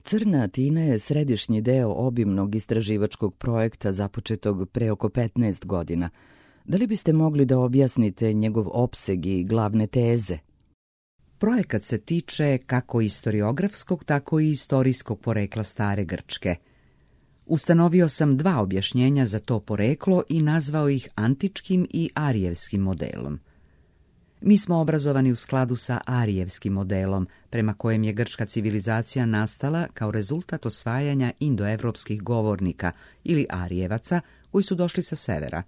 Crna Atina je središnji deo obimnog istraživačkog projekta započetog pre oko 15 godina. Da li biste mogli da objasnite njegov opseg i glavne teze? Projekat se tiče kako istoriografskog, tako i istorijskog porekla stare Grčke. Ustanovio sam 2 objašnjenja za to poreklo i nazvao ih antičkim i arijevskim modelom. Mi smo obrazovani u skladu sa arijevskim modelom, prema kojem je grčka civilizacija nastala kao rezultat osvajanja indoevropskih govornika ili arijevaca koji su došli sa severa.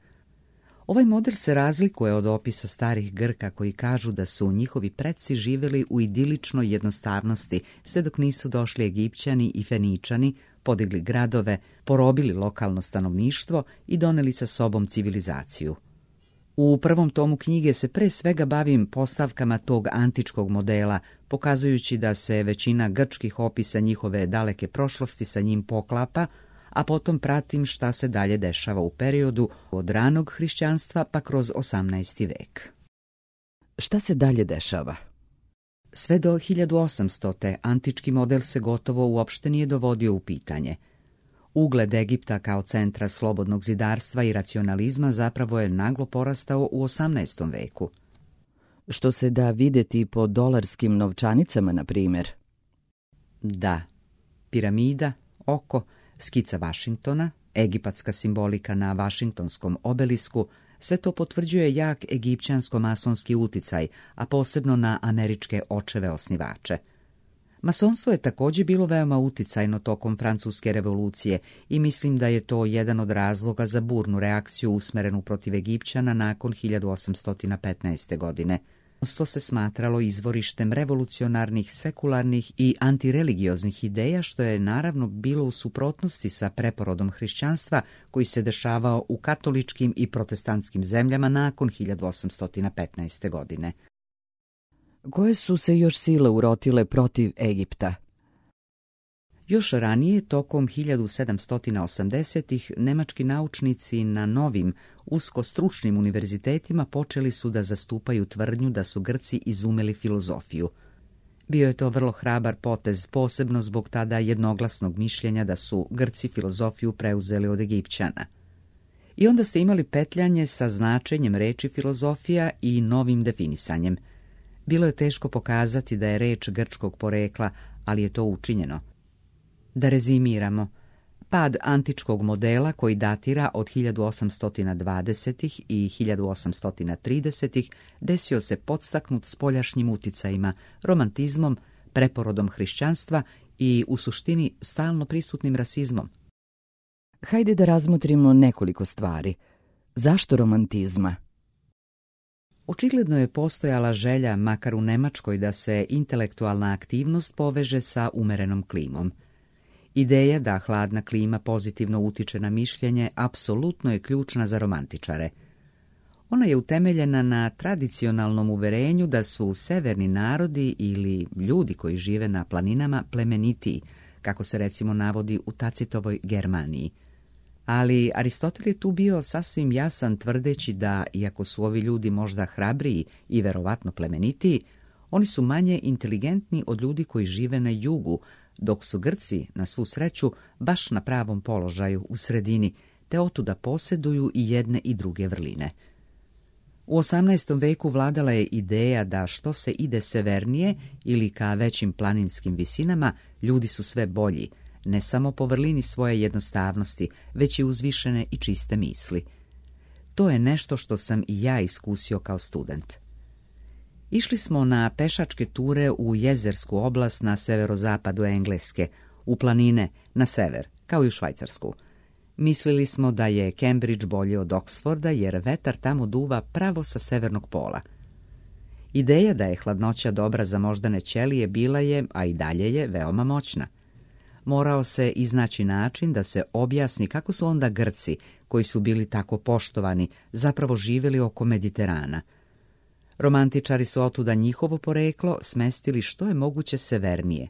Ovaj model se razlikuje od opisa starih Grka koji kažu da su njihovi preci živjeli u idiličnoj jednostavnosti sve dok nisu došli Egipćani i Feničani, podigli gradove, porobili lokalno stanovništvo i doneli sa sobom civilizaciju. U prvom tomu knjige se pre svega bavim postavkama tog antičkog modela, pokazujući da se većina grčkih opisa njihove daleke prošlosti sa njim poklapa, a potom pratim šta se dalje dešava u periodu od ranog hrišćanstva pa kroz 18. vek. Šta se dalje dešava? Sve do 1800. antički model se gotovo uopšte nije dovodio u pitanje. Ugled Egipta kao centra slobodnog zidarstva i racionalizma zapravo je naglo porastao u 18. veku. Što se da vidjeti po dolarskim novčanicama, na primjer? Da, piramida, oko, skica Vašingtona, egipatska simbolika na Vašingtonskom obelisku, sve to potvrđuje jak egipćansko-masonski uticaj, a posebno na američke očeve osnivače. Masonstvo je također bilo veoma uticajno tokom Francuske revolucije i mislim da je to jedan od razloga za burnu reakciju usmerenu protiv Egipćana nakon 1815. godine. To se smatralo izvorištem revolucionarnih, sekularnih i antireligioznih ideja, što je naravno bilo u suprotnosti sa preporodom hrišćanstva koji se dešavao u katoličkim i protestantskim zemljama nakon 1815. godine. Koje su se još sile urotile protiv Egipta? Još ranije, tokom 1780-ih, nemački naučnici na novim, uskostručnim univerzitetima počeli su da zastupaju tvrdnju da su Grci izumeli filozofiju. Bio je to vrlo hrabar potez, posebno zbog tada jednoglasnog mišljenja da su Grci filozofiju preuzeli od Egipćana. I onda ste imali petljanje sa značenjem reči filozofija i novim definisanjem. Bilo je teško pokazati da je reč grčkog porekla, ali je to učinjeno. Da rezimiramo, pad antičkog modela koji datira od 1820. i 1830. desio se podstaknut spoljašnjim uticajima, romantizmom, preporodom hrišćanstva i u suštini stalno prisutnim rasizmom. Hajde da razmotrimo nekoliko stvari. Zašto romantizma? Očigledno je postojala želja, makar u Nemačkoj, da se intelektualna aktivnost poveže sa umerenom klimom. Ideja da hladna klima pozitivno utiče na mišljenje apsolutno je ključna za romantičare. Ona je utemeljena na tradicionalnom uverenju da su severni narodi ili ljudi koji žive na planinama plemenitiji, kako se recimo navodi u Tacitovoj Germaniji. Ali Aristotel je tu bio sasvim jasan tvrdeći da, iako su ovi ljudi možda hrabriji i verovatno plemenitiji, oni su manje inteligentni od ljudi koji žive na jugu, dok su Grci, na svu sreću, baš na pravom položaju u sredini, te otuda posjeduju i jedne i druge vrline. U 18. veku vladala je ideja da što se ide severnije ili ka većim planinskim visinama, ljudi su sve bolji, ne samo po vrlini svoje jednostavnosti, već i uzvišene i čiste misli. To je nešto što sam i ja iskusio kao student. Išli smo na pešačke ture u jezersku oblast na severozapadu Engleske, u planine na sever, kao i u Švajcarsku. Mislili smo da je Cambridge bolji od Oxforda jer vetar tamo duva pravo sa severnog pola. Ideja da je hladnoća dobra za moždane ćelije bila je, a i dalje je, veoma moćna. Morao se iznaći način da se objasni kako su onda Grci, koji su bili tako poštovani, zapravo živjeli oko Mediterana. Romantičari su otuda njihovo poreklo smestili što je moguće severnije.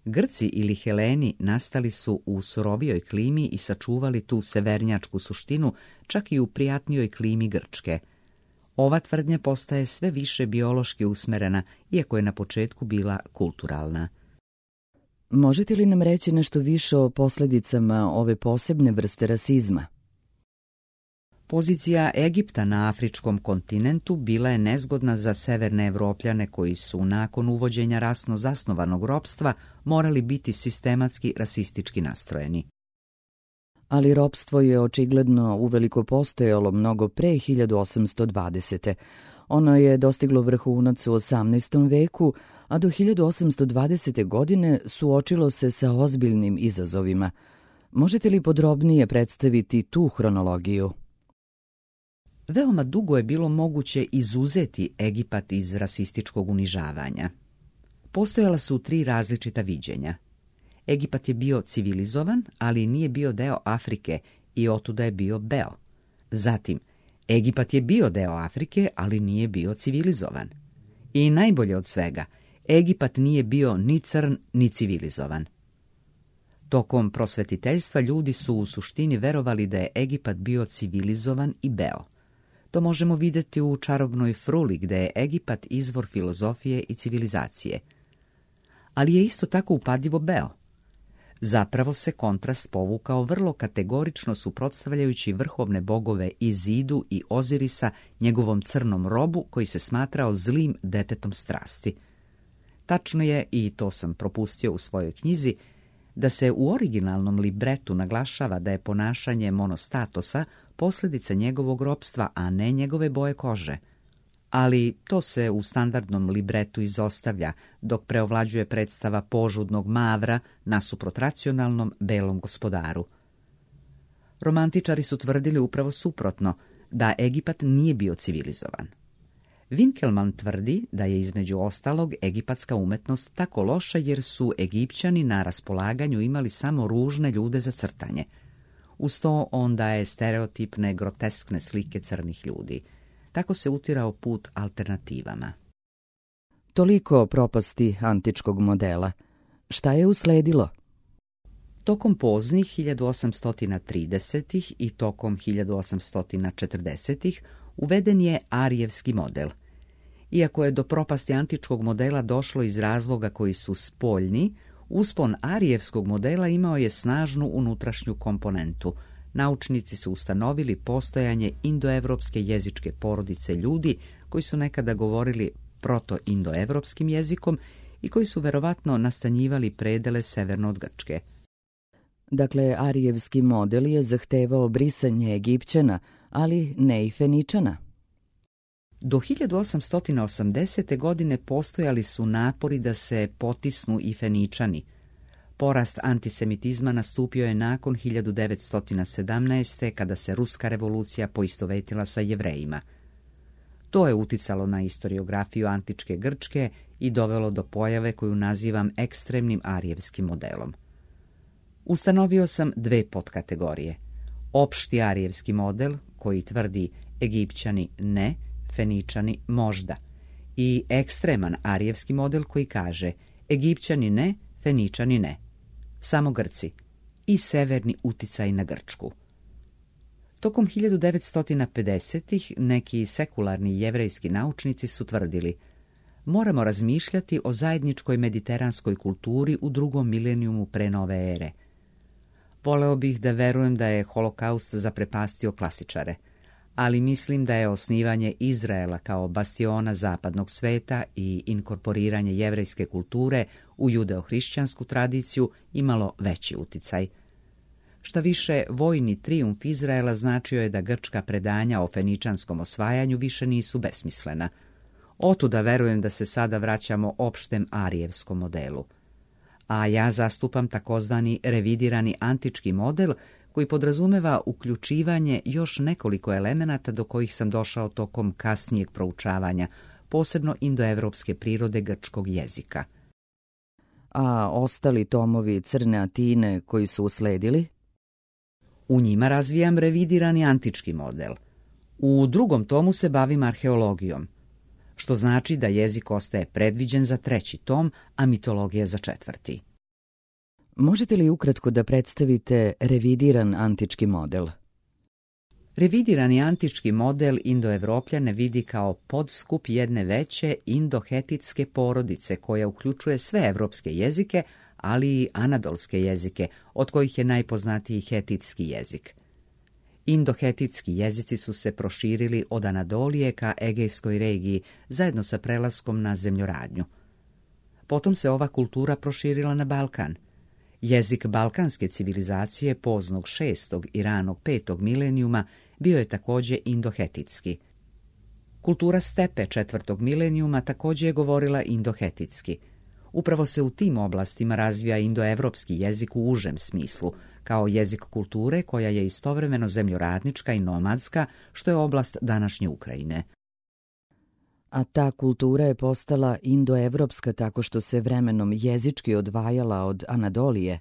Grci ili Heleni nastali su u surovijoj klimi i sačuvali tu severnjačku suštinu čak i u prijatnijoj klimi Grčke. Ova tvrdnja postaje sve više biološki usmerena, iako je na početku bila kulturalna. Možete li nam reći nešto više o posljedicama ove posebne vrste rasizma? Pozicija Egipta na afričkom kontinentu bila je nezgodna za severne Evropljane koji su nakon uvođenja rasno zasnovanog ropstva morali biti sistematski rasistički nastrojeni. Ali ropstvo je očigledno uveliko postojalo mnogo pre 1820. Ono je dostiglo vrhunac u 18. veku, a do 1820. godine suočilo se sa ozbiljnim izazovima. Možete li podrobnije predstaviti tu hronologiju? Veoma dugo je bilo moguće izuzeti Egipat iz rasističkog unižavanja. Postojala su 3 različita viđenja. Egipat je bio civilizovan, ali nije bio deo Afrike i otuda je bio beo. Zatim, Egipat je bio deo Afrike, ali nije bio civilizovan. I najbolje od svega, Egipat nije bio ni crn, ni civilizovan. Tokom prosvetiteljstva ljudi su u suštini verovali da je Egipat bio civilizovan i beo. To možemo vidjeti u čarobnoj fruli gde je Egipat izvor filozofije i civilizacije. Ali je isto tako upadljivo beo. Zapravo se kontrast povukao vrlo kategorično suprotstavljajući vrhovne bogove Izidu i Ozirisa njegovom crnom robu koji se smatrao zlim detetom strasti. Tačno je, i to sam propustio u svojoj knjizi, da se u originalnom libretu naglašava da je ponašanje Monostatosa posljedica njegovog ropstva, a ne njegove boje kože. Ali to se u standardnom libretu izostavlja, dok preovlađuje predstava požudnog Mavra nasuprot racionalnom belom gospodaru. Romantičari su tvrdili upravo suprotno, da Egipat nije bio civilizovan. Winkelmann tvrdi da je između ostalog egipatska umetnost tako loša jer su Egipćani na raspolaganju imali samo ružne ljude za crtanje. Uz to on daje stereotipne, groteskne slike crnih ljudi. Tako se utirao put alternativama. Toliko o propasti antičkog modela. Šta je usledilo? Tokom poznih 1830. i tokom 1840. uveden je arijevski model. Iako je do propasti antičkog modela došlo iz razloga koji su spoljni, uspon arijevskog modela imao je snažnu unutrašnju komponentu. Naučnici su ustanovili postojanje indoevropske jezičke porodice ljudi koji su nekada govorili proto-indoevropskim jezikom i koji su verovatno nastanjivali predele severno od Grčke. Dakle, arijevski model je zahtevao brisanje Egipćana, ali ne i Feničana. Do 1880. godine postojali su napori da se potisnu i Feničani. Porast antisemitizma nastupio je nakon 1917. kada se ruska revolucija poistovetila sa Jevrejima. To je uticalo na istoriografiju antičke Grčke i dovelo do pojave koju nazivam ekstremnim arijevskim modelom. Ustanovio sam 2 podkategorije. Opšti arijevski model, koji tvrdi Egipćani ne, Feničani možda. I ekstreman arijevski model koji kaže Egipćani ne, Feničani ne. Samo Grci. I severni uticaj na Grčku. Tokom 1950-ih neki sekularni jevrejski naučnici su tvrdili moramo razmišljati o zajedničkoj mediteranskoj kulturi u 2. milenijumu pre nove ere. Voleo bih da verujem da je holokaust zaprepastio klasičare, ali mislim da je osnivanje Izraela kao bastiona zapadnog sveta i inkorporiranje jevrejske kulture u judeo-hrišćansku tradiciju imalo veći uticaj. Šta više, vojni trijumf Izraela značio je da grčka predanja o feničanskom osvajanju više nisu besmislena. Otuda verujem da se sada vraćamo opštem arijevskom modelu. A ja zastupam takozvani revidirani antički model koji podrazumeva uključivanje još nekoliko elemenata do kojih sam došao tokom kasnijeg proučavanja, posebno indoevropske prirode grčkog jezika. A ostali tomovi Crne Atine koji su usledili? U njima razvijam revidirani antički model. U 2. tomu se bavim arheologijom, što znači da jezik ostaje predviđen za 3. tom, a mitologija za 4. Možete li ukratko da predstavite revidiran antički model? Revidirani antički model Indoevropljane vidi kao podskup jedne veće indohetitske porodice koja uključuje sve evropske jezike, ali i anadolske jezike, od kojih je najpoznatiji hetitski jezik. Indohetitski jezici su se proširili od Anadolije ka Egejskoj regiji zajedno sa prelaskom na zemljoradnju. Potom se ova kultura proširila na Balkan. Jezik balkanske civilizacije poznog 6. i ranog 5. milenijuma bio je također indohetitski. Kultura stepe 4. milenijuma također je govorila indohetitski. Upravo se u tim oblastima razvija indoevropski jezik u užem smislu, kao jezik kulture koja je istovremeno zemljoradnička i nomadska, što je oblast današnje Ukrajine. A ta kultura je postala indoevropska tako što se vremenom jezički odvajala od Anadolije?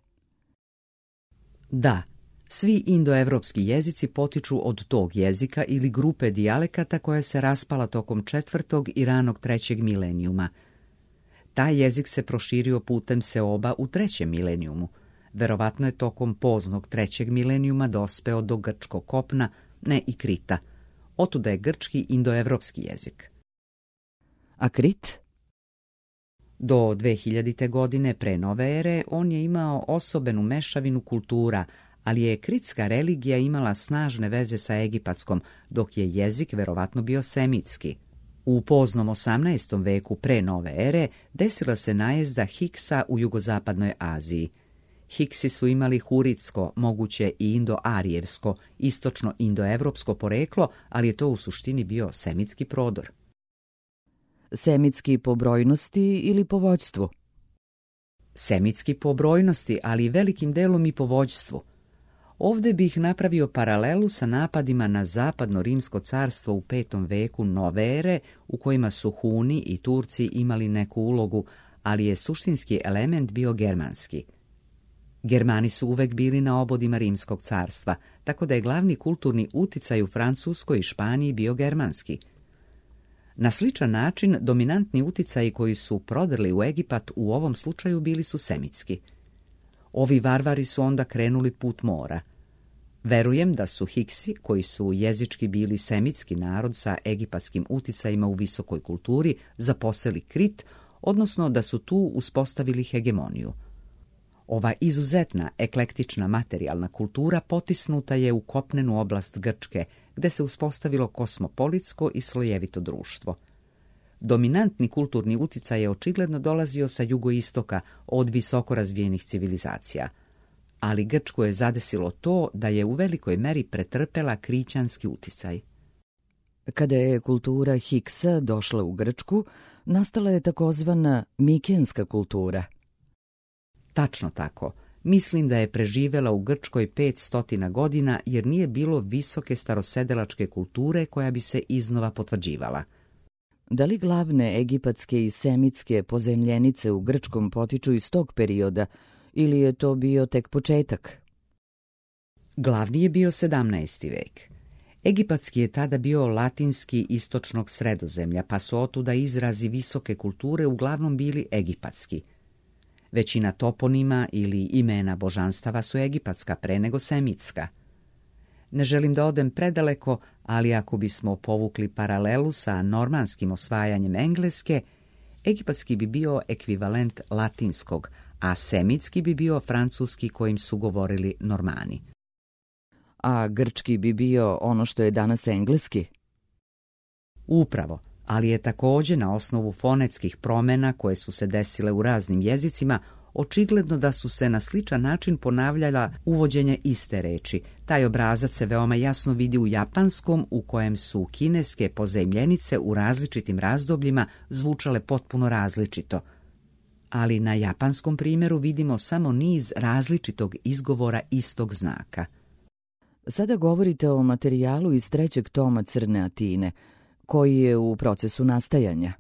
Da, svi indoevropski jezici potiču od tog jezika ili grupe dijalekata koja se raspala tokom 4. i ranog 3. milenijuma. Taj jezik se proširio putem seoba u 3. milenijumu. Verovatno je tokom poznog 3. milenijuma dospeo do grčkog kopna, ne i Krita. Otuda je grčki indoevropski jezik. A Krit? Do 2000. godine pre nove ere on je imao osobenu mešavinu kultura, ali je kritska religija imala snažne veze sa egipatskom, dok je jezik verovatno bio semitski. U poznom 18. veku pre nove ere desila se najezda Hiksa u jugozapadnoj Aziji. Hiksi su imali huritsko, moguće i indo-arijevsko, istočno indoevropsko poreklo, ali je to u suštini bio semitski prodor. Semitski po brojnosti ili po vođstvu? Semitski po brojnosti, ali velikim delom i po vođstvu. Ovdje bih napravio paralelu sa napadima na zapadno rimsko carstvo u 5. veku nove ere, u kojima su Huni i Turci imali neku ulogu, ali je suštinski element bio germanski. Germani su uvek bili na obodima rimskog carstva, tako da je glavni kulturni uticaj u Francuskoj i Španiji bio germanski. Na sličan način, dominantni uticaji koji su prodrli u Egipat u ovom slučaju bili su semitski. Ovi varvari su onda krenuli put mora. Verujem da su Hiksi, koji su jezički bili semitski narod sa egipatskim uticajima u visokoj kulturi, zaposeli Krit, odnosno da su tu uspostavili hegemoniju. Ova izuzetna eklektična materijalna kultura potisnuta je u kopnenu oblast Grčke, gde se uspostavilo kosmopolitsko i slojevito društvo. Dominantni kulturni uticaj je očigledno dolazio sa jugoistoka od visoko razvijenih civilizacija, ali Grčku je zadesilo to da je u velikoj meri pretrpela krićanski uticaj. Kada je kultura Hiksa došla u Grčku, nastala je takozvana mikenska kultura. Tačno tako. Mislim da je preživela u Grčkoj 500 godina jer nije bilo visoke starosedelačke kulture koja bi se iznova potvrđivala. Da li glavne egipatske i semitske pozemljenice u Grčkom potiču iz tog perioda ili je to bio tek početak? Glavni je bio 17. vek. Egipatski je tada bio latinski istočnog Sredozemlja, pa su otuda izrazi visoke kulture uglavnom bili egipatski. Većina toponima ili imena božanstava su egipatska pre nego semitska. Ne želim da odem predaleko, ali ako bismo povukli paralelu sa normanskim osvajanjem Engleske, egipatski bi bio ekvivalent latinskog, a semitski bi bio francuski kojim su govorili Normani. A grčki bi bio ono što je danas engleski? Upravo, ali je također na osnovu fonetskih promjena koje su se desile u raznim jezicima očigledno da su se na sličan način ponavljala uvođenje iste reči. Taj obrazac se veoma jasno vidi u japanskom, u kojem su kineske pozajmljenice u različitim razdobljima zvučale potpuno različito. Ali na japanskom primjeru vidimo samo niz različitog izgovora istog znaka. Sada govorite o materijalu iz 3. toma Crne Atine, koji je u procesu nastajanja.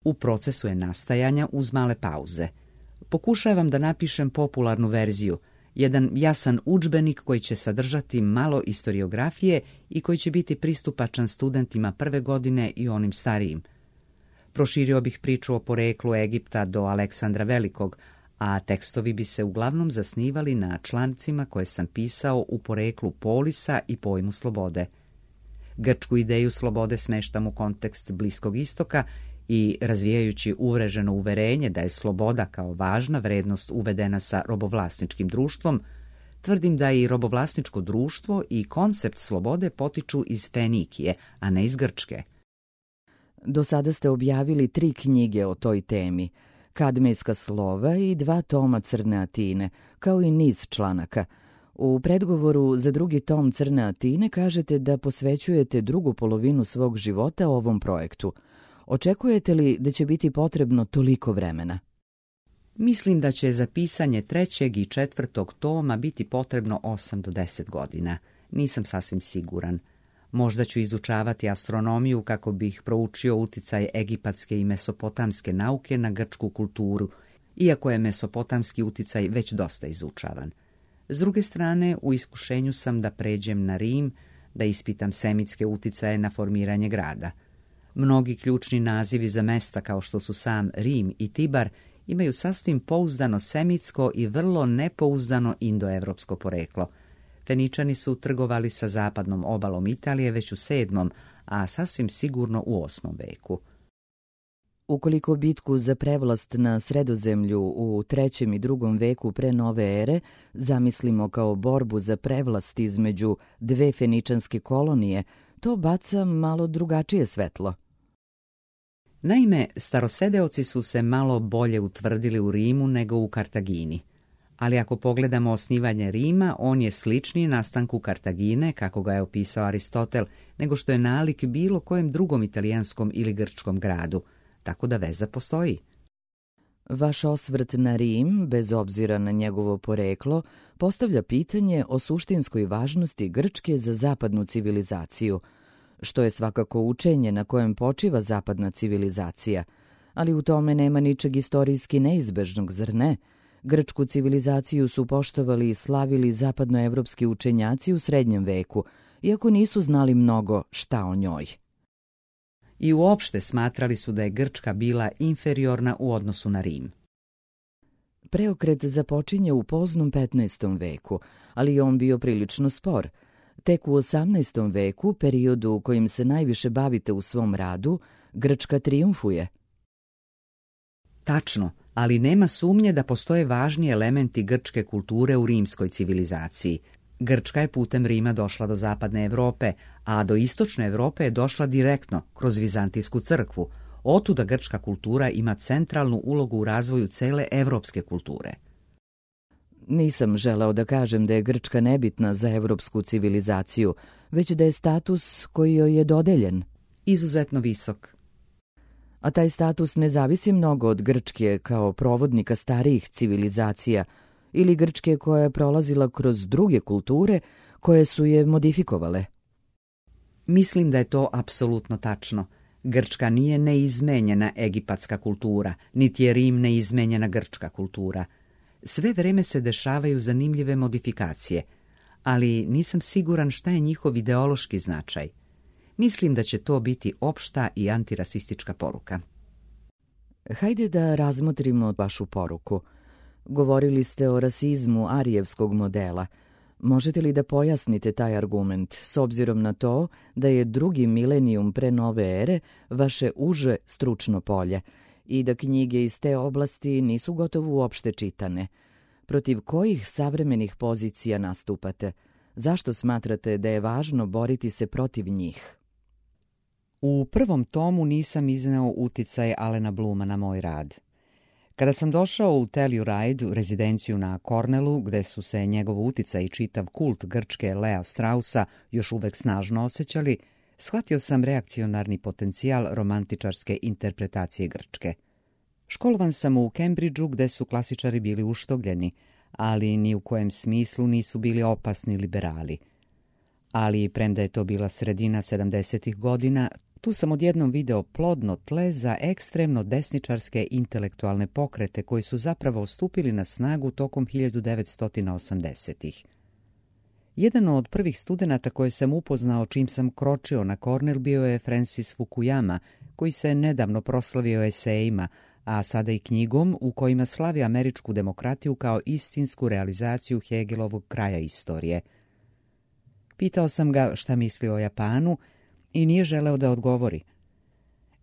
U procesu je nastajanja uz male pauze. Pokušavam da napišem popularnu verziju, jedan jasan udžbenik koji će sadržati malo istoriografije i koji će biti pristupačan studentima prve godine i onim starijim. Proširio bih priču o poreklu Egipta do Aleksandra Velikog, a tekstovi bi se uglavnom zasnivali na člancima koje sam pisao u poreklu polisa i pojmu slobode. Grčku ideju slobode smeštam u kontekst Bliskog istoka i razvijajući uvreženo uverenje da je sloboda kao važna vrednost uvedena sa robovlasničkim društvom, tvrdim da i robovlasničko društvo i koncept slobode potiču iz Fenikije, a ne iz Grčke. Do sada ste objavili 3 knjige o toj temi, Kadmejska slova i 2 toma Crne Atine, kao i niz članaka. U predgovoru za 2. tom Crne Atine kažete da posvećujete drugu polovinu svog života ovom projektu. Očekujete li da će biti potrebno toliko vremena? Mislim da će za pisanje 3. i 4. toma biti potrebno 8 do 10 godina. Nisam sasvim siguran. Možda ću izučavati astronomiju kako bih proučio uticaj egipatske i mesopotamske nauke na grčku kulturu, iako je mesopotamski uticaj već dosta izučavan. S druge strane, u iskušenju sam da pređem na Rim, da ispitam semitske uticaje na formiranje grada. Mnogi ključni nazivi za mesta kao što su sam Rim i Tibar imaju sasvim pouzdano semitsko i vrlo nepouzdano indoevropsko poreklo. Feničani su trgovali sa zapadnom obalom Italije već u 7., a sasvim sigurno u 8. veku. Ukoliko bitku za prevlast na Sredozemlju u 3. i 2. veku pre nove ere zamislimo kao borbu za prevlast između 2 feničanske kolonije, to baca malo drugačije svetlo. Naime, starosedeoci su se malo bolje utvrdili u Rimu nego u Kartagini. Ali ako pogledamo osnivanje Rima, on je sličniji nastanku Kartagine, kako ga je opisao Aristotel, nego što je nalik bilo kojem drugom italijanskom ili grčkom gradu, tako da veza postoji. Vaš osvrt na Rim, bez obzira na njegovo poreklo, postavlja pitanje o suštinskoj važnosti Grčke za zapadnu civilizaciju, što je svakako učenje na kojem počiva zapadna civilizacija, ali u tome nema ničeg istorijski neizbežnog, zar ne? Grčku civilizaciju su poštovali i slavili zapadnoevropski učenjaci u srednjem veku, iako nisu znali mnogo šta o njoj. I uopšte smatrali su da je Grčka bila inferiorna u odnosu na Rim. Preokret započinje u poznom 15. veku, ali je on bio prilično spor. Tek u 18. veku, periodu u kojim se najviše bavite u svom radu, Grčka trijumfuje. Tačno, ali nema sumnje da postoje važni elementi grčke kulture u rimskoj civilizaciji. Grčka je putem Rima došla do zapadne Evrope, a do istočne Evrope je došla direktno, kroz Vizantijsku crkvu. Otuda grčka kultura ima centralnu ulogu u razvoju cele evropske kulture. Nisam želeo da kažem da je Grčka nebitna za evropsku civilizaciju, već da je status koji joj je dodeljen izuzetno visok. A taj status ne zavisi mnogo od Grčke kao provodnika starijih civilizacija ili Grčke koja je prolazila kroz druge kulture koje su je modifikovale. Mislim da je to apsolutno tačno. Grčka nije neizmenjena egipatska kultura, niti je Rim neizmenjena grčka kultura. Sve vreme se dešavaju zanimljive modifikacije, ali nisam siguran šta je njihov ideološki značaj. Mislim da će to biti opšta i antirasistička poruka. Hajde da razmotrimo vašu poruku. Govorili ste o rasizmu arijevskog modela. Možete li da pojasnite taj argument, s obzirom na to da je 2. milenijum pre nove ere vaše uže stručno polje i da knjige iz te oblasti nisu gotovo uopšte čitane? Protiv kojih savremenih pozicija nastupate? Zašto smatrate da je važno boriti se protiv njih? U 1. tomu nisam izneo uticaj Alena Bluma na moj rad. Kada sam došao u Telluride, u rezidenciju na Cornellu, gde su se njegov uticaj i čitav kult Grčke Lea Straussa još uvek snažno osjećali, shvatio sam reakcionarni potencijal romantičarske interpretacije Grčke. Školovan sam u Cambridgeu, gde su klasičari bili uštogljeni, ali ni u kojem smislu nisu bili opasni liberali. Ali, premda je to bila sredina 70. godina, tu sam odjednom video plodno tle za ekstremno desničarske intelektualne pokrete koji su zapravo stupili na snagu tokom 1980-ih. Jedan od prvih studenata koje sam upoznao čim sam kročio na Cornell bio je Francis Fukuyama, koji se nedavno proslavio esejima, a sada i knjigom u kojima slavi američku demokratiju kao istinsku realizaciju Hegelovog kraja istorije. Pitao sam ga šta misli o Japanu i nije želeo da odgovori.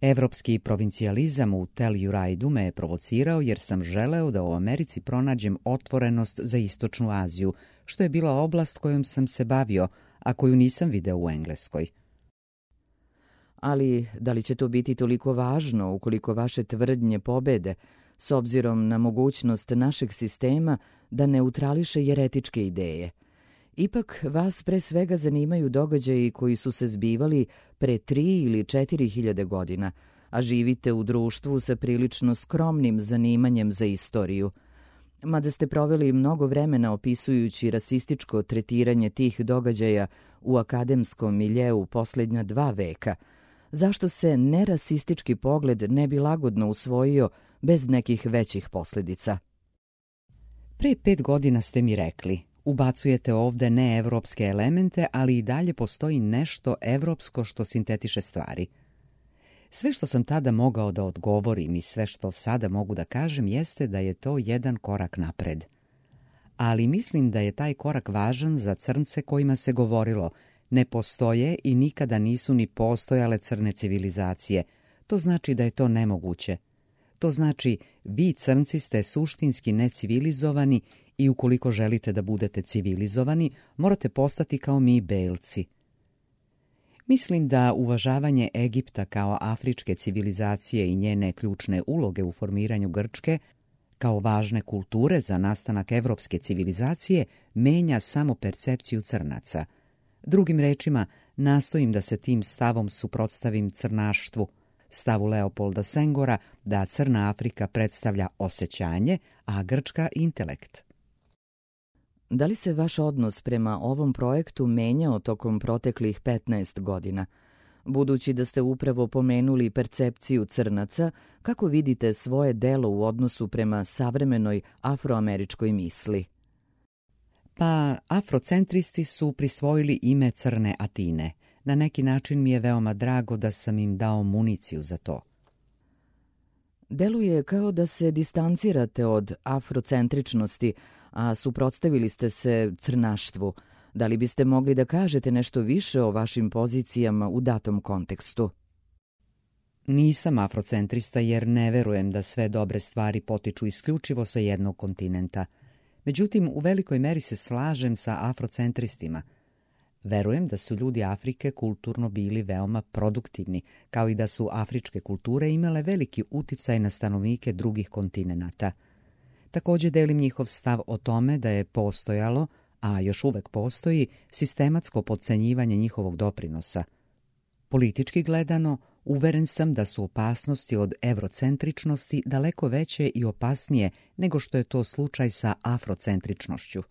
Evropski provincijalizam u Telluride me je provocirao jer sam želeo da u Americi pronađem otvorenost za Istočnu Aziju, što je bila oblast kojom sam se bavio, a koju nisam video u Engleskoj. Ali da li će to biti toliko važno ukoliko vaše tvrdnje pobede, s obzirom na mogućnost našeg sistema da neutrališe jeretičke ideje? Ipak vas pre svega zanimaju događaji koji su se zbivali pre 3 ili 4 hiljade godina, a živite u društvu sa prilično skromnim zanimanjem za istoriju. Mada ste proveli mnogo vremena opisujući rasističko tretiranje tih događaja u akademskom miljeu posljednja 2 veka, zašto se nerasistički pogled ne bi lagodno usvojio bez nekih većih posljedica? Pre 5 godina ste mi rekli, ubacujete ovde neevropske elemente, ali i dalje postoji nešto evropsko što sintetiše stvari. Sve što sam tada mogao da odgovorim i sve što sada mogu da kažem jeste da je to jedan korak napred. Ali mislim da je taj korak važan za crnce kojima se govorilo ne postoje i nikada nisu ni postojale crne civilizacije. To znači da je to nemoguće. To znači vi crnci ste suštinski necivilizovani i ukoliko želite da budete civilizovani, morate postati kao mi belci. Mislim da uvažavanje Egipta kao afričke civilizacije i njene ključne uloge u formiranju Grčke, kao važne kulture za nastanak evropske civilizacije, menja samo percepciju crnaca. Drugim rečima, nastojim da se tim stavom suprotstavim crnaštvu, stavu Leopolda Sengora da Crna Afrika predstavlja osjećanje, a Grčka intelekt. Da li se vaš odnos prema ovom projektu menjao tokom proteklih 15 godina? Budući da ste upravo pomenuli percepciju crnaca, kako vidite svoje delo u odnosu prema savremenoj afroameričkoj misli? Pa, afrocentristi su prisvojili ime Crne Atine. Na neki način mi je veoma drago da sam im dao municiju za to. Deluje kao da se distancirate od afrocentričnosti, a suprotstavili ste se crnaštvu. Da li biste mogli da kažete nešto više o vašim pozicijama u datom kontekstu? Nisam afrocentrista jer ne verujem da sve dobre stvari potiču isključivo sa jednog kontinenta. Međutim, u velikoj meri se slažem sa afrocentristima. Verujem da su ljudi Afrike kulturno bili veoma produktivni, kao i da su afričke kulture imale veliki uticaj na stanovnike drugih kontinenata. Također delim njihov stav o tome da je postojalo, a još uvek postoji, sistematsko potcenjivanje njihovog doprinosa. Politički gledano, uveren sam da su opasnosti od evrocentričnosti daleko veće i opasnije nego što je to slučaj sa afrocentričnošću.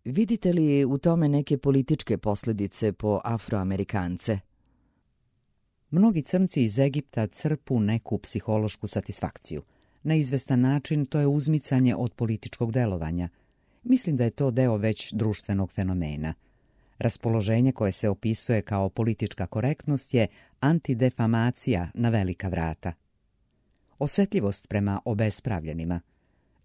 Vidite li u tome neke političke posljedice po Afroamerikance? Mnogi crnci iz Egipta crpu neku psihološku satisfakciju. Na izvestan način to je uzmicanje od političkog delovanja. Mislim da je to deo već društvenog fenomena. Raspoloženje koje se opisuje kao politička korektnost je antidefamacija na velika vrata. Osetljivost prema obespravljenima.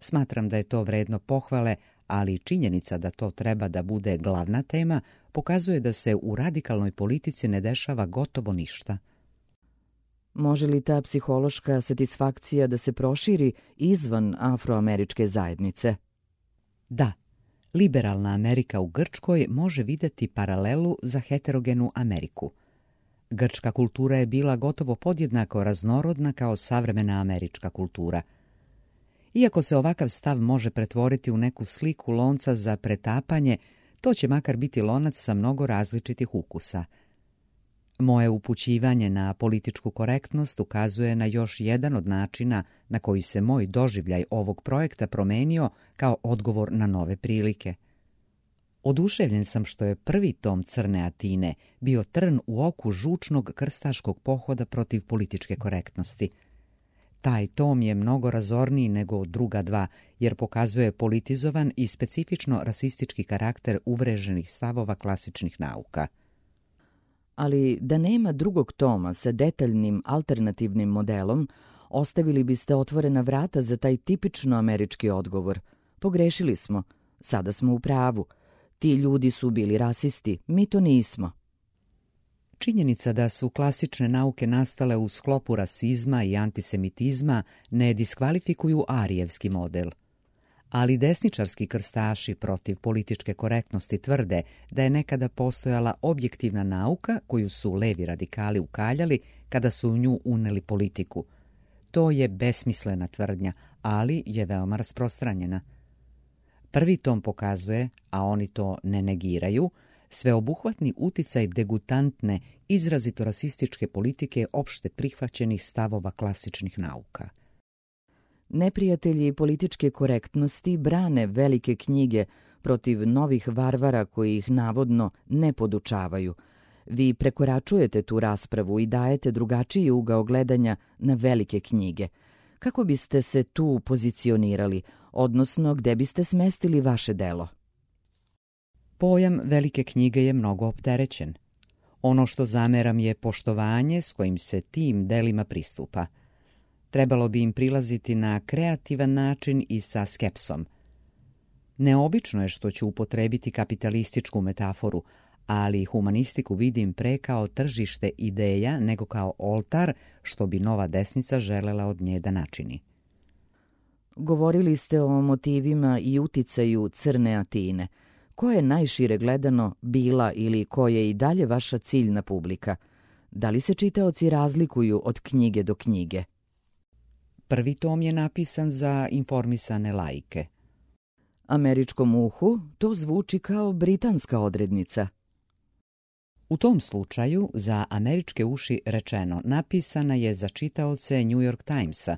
Smatram da je to vredno pohvale, ali činjenica da to treba da bude glavna tema pokazuje da se u radikalnoj politici ne dešava gotovo ništa. Može li ta psihološka satisfakcija da se proširi izvan afroameričke zajednice? Da, liberalna Amerika u Grčkoj može videti paralelu za heterogenu Ameriku. Grčka kultura je bila gotovo podjednako raznorodna kao savremena američka kultura. Iako se ovakav stav može pretvoriti u neku sliku lonca za pretapanje, to će makar biti lonac sa mnogo različitih ukusa. Moje upućivanje na političku korektnost ukazuje na još jedan od načina na koji se moj doživljaj ovog projekta promenio kao odgovor na nove prilike. Oduševljen sam što je prvi tom Crne Atine bio trn u oku žučnog krstaškog pohoda protiv političke korektnosti. Taj tom je mnogo razorniji nego druga dva, jer pokazuje politizovan i specifično rasistički karakter uvreženih stavova klasičnih nauka. Ali da nema drugog toma sa detaljnim alternativnim modelom, ostavili biste otvorena vrata za taj tipično američki odgovor. Pogrešili smo, sada smo u pravu. Ti ljudi su bili rasisti, mi to nismo. Činjenica da su klasične nauke nastale u sklopu rasizma i antisemitizma ne diskvalifikuju arijevski model. Ali desničarski krstaši protiv političke korektnosti tvrde da je nekada postojala objektivna nauka koju su levi radikali ukaljali kada su u nju uneli politiku. To je besmislena tvrdnja, ali je veoma rasprostranjena. Prvi tom pokazuje, a oni to ne negiraju, sveobuhvatni uticaj degutantne, izrazito rasističke politike opšte prihvaćenih stavova klasičnih nauka. Neprijatelji političke korektnosti brane velike knjige protiv novih varvara koji ih navodno ne podučavaju. Vi prekoračujete tu raspravu i dajete drugačiji ugao gledanja na velike knjige. Kako biste se tu pozicionirali, odnosno gde biste smestili vaše delo? Pojam velike knjige je mnogo opterećen. Ono što zameram je poštovanje s kojim se tim delima pristupa. Trebalo bi im prilaziti na kreativan način i sa skepsom. Neobično je što ću upotrebiti kapitalističku metaforu, ali humanistiku vidim pre kao tržište ideja nego kao oltar što bi nova desnica želela od nje da načini. Govorili ste o motivima i uticaju Crne Atine. Ko je najšire gledano bila ili ko je i dalje vaša ciljna publika? Da li se čitaoci razlikuju od knjige do knjige? Prvi tom je napisan za informisane laike. Američkom uhu to zvuči kao britanska odrednica. U tom slučaju, za američke uši rečeno, napisana je za čitaoce New York Timesa.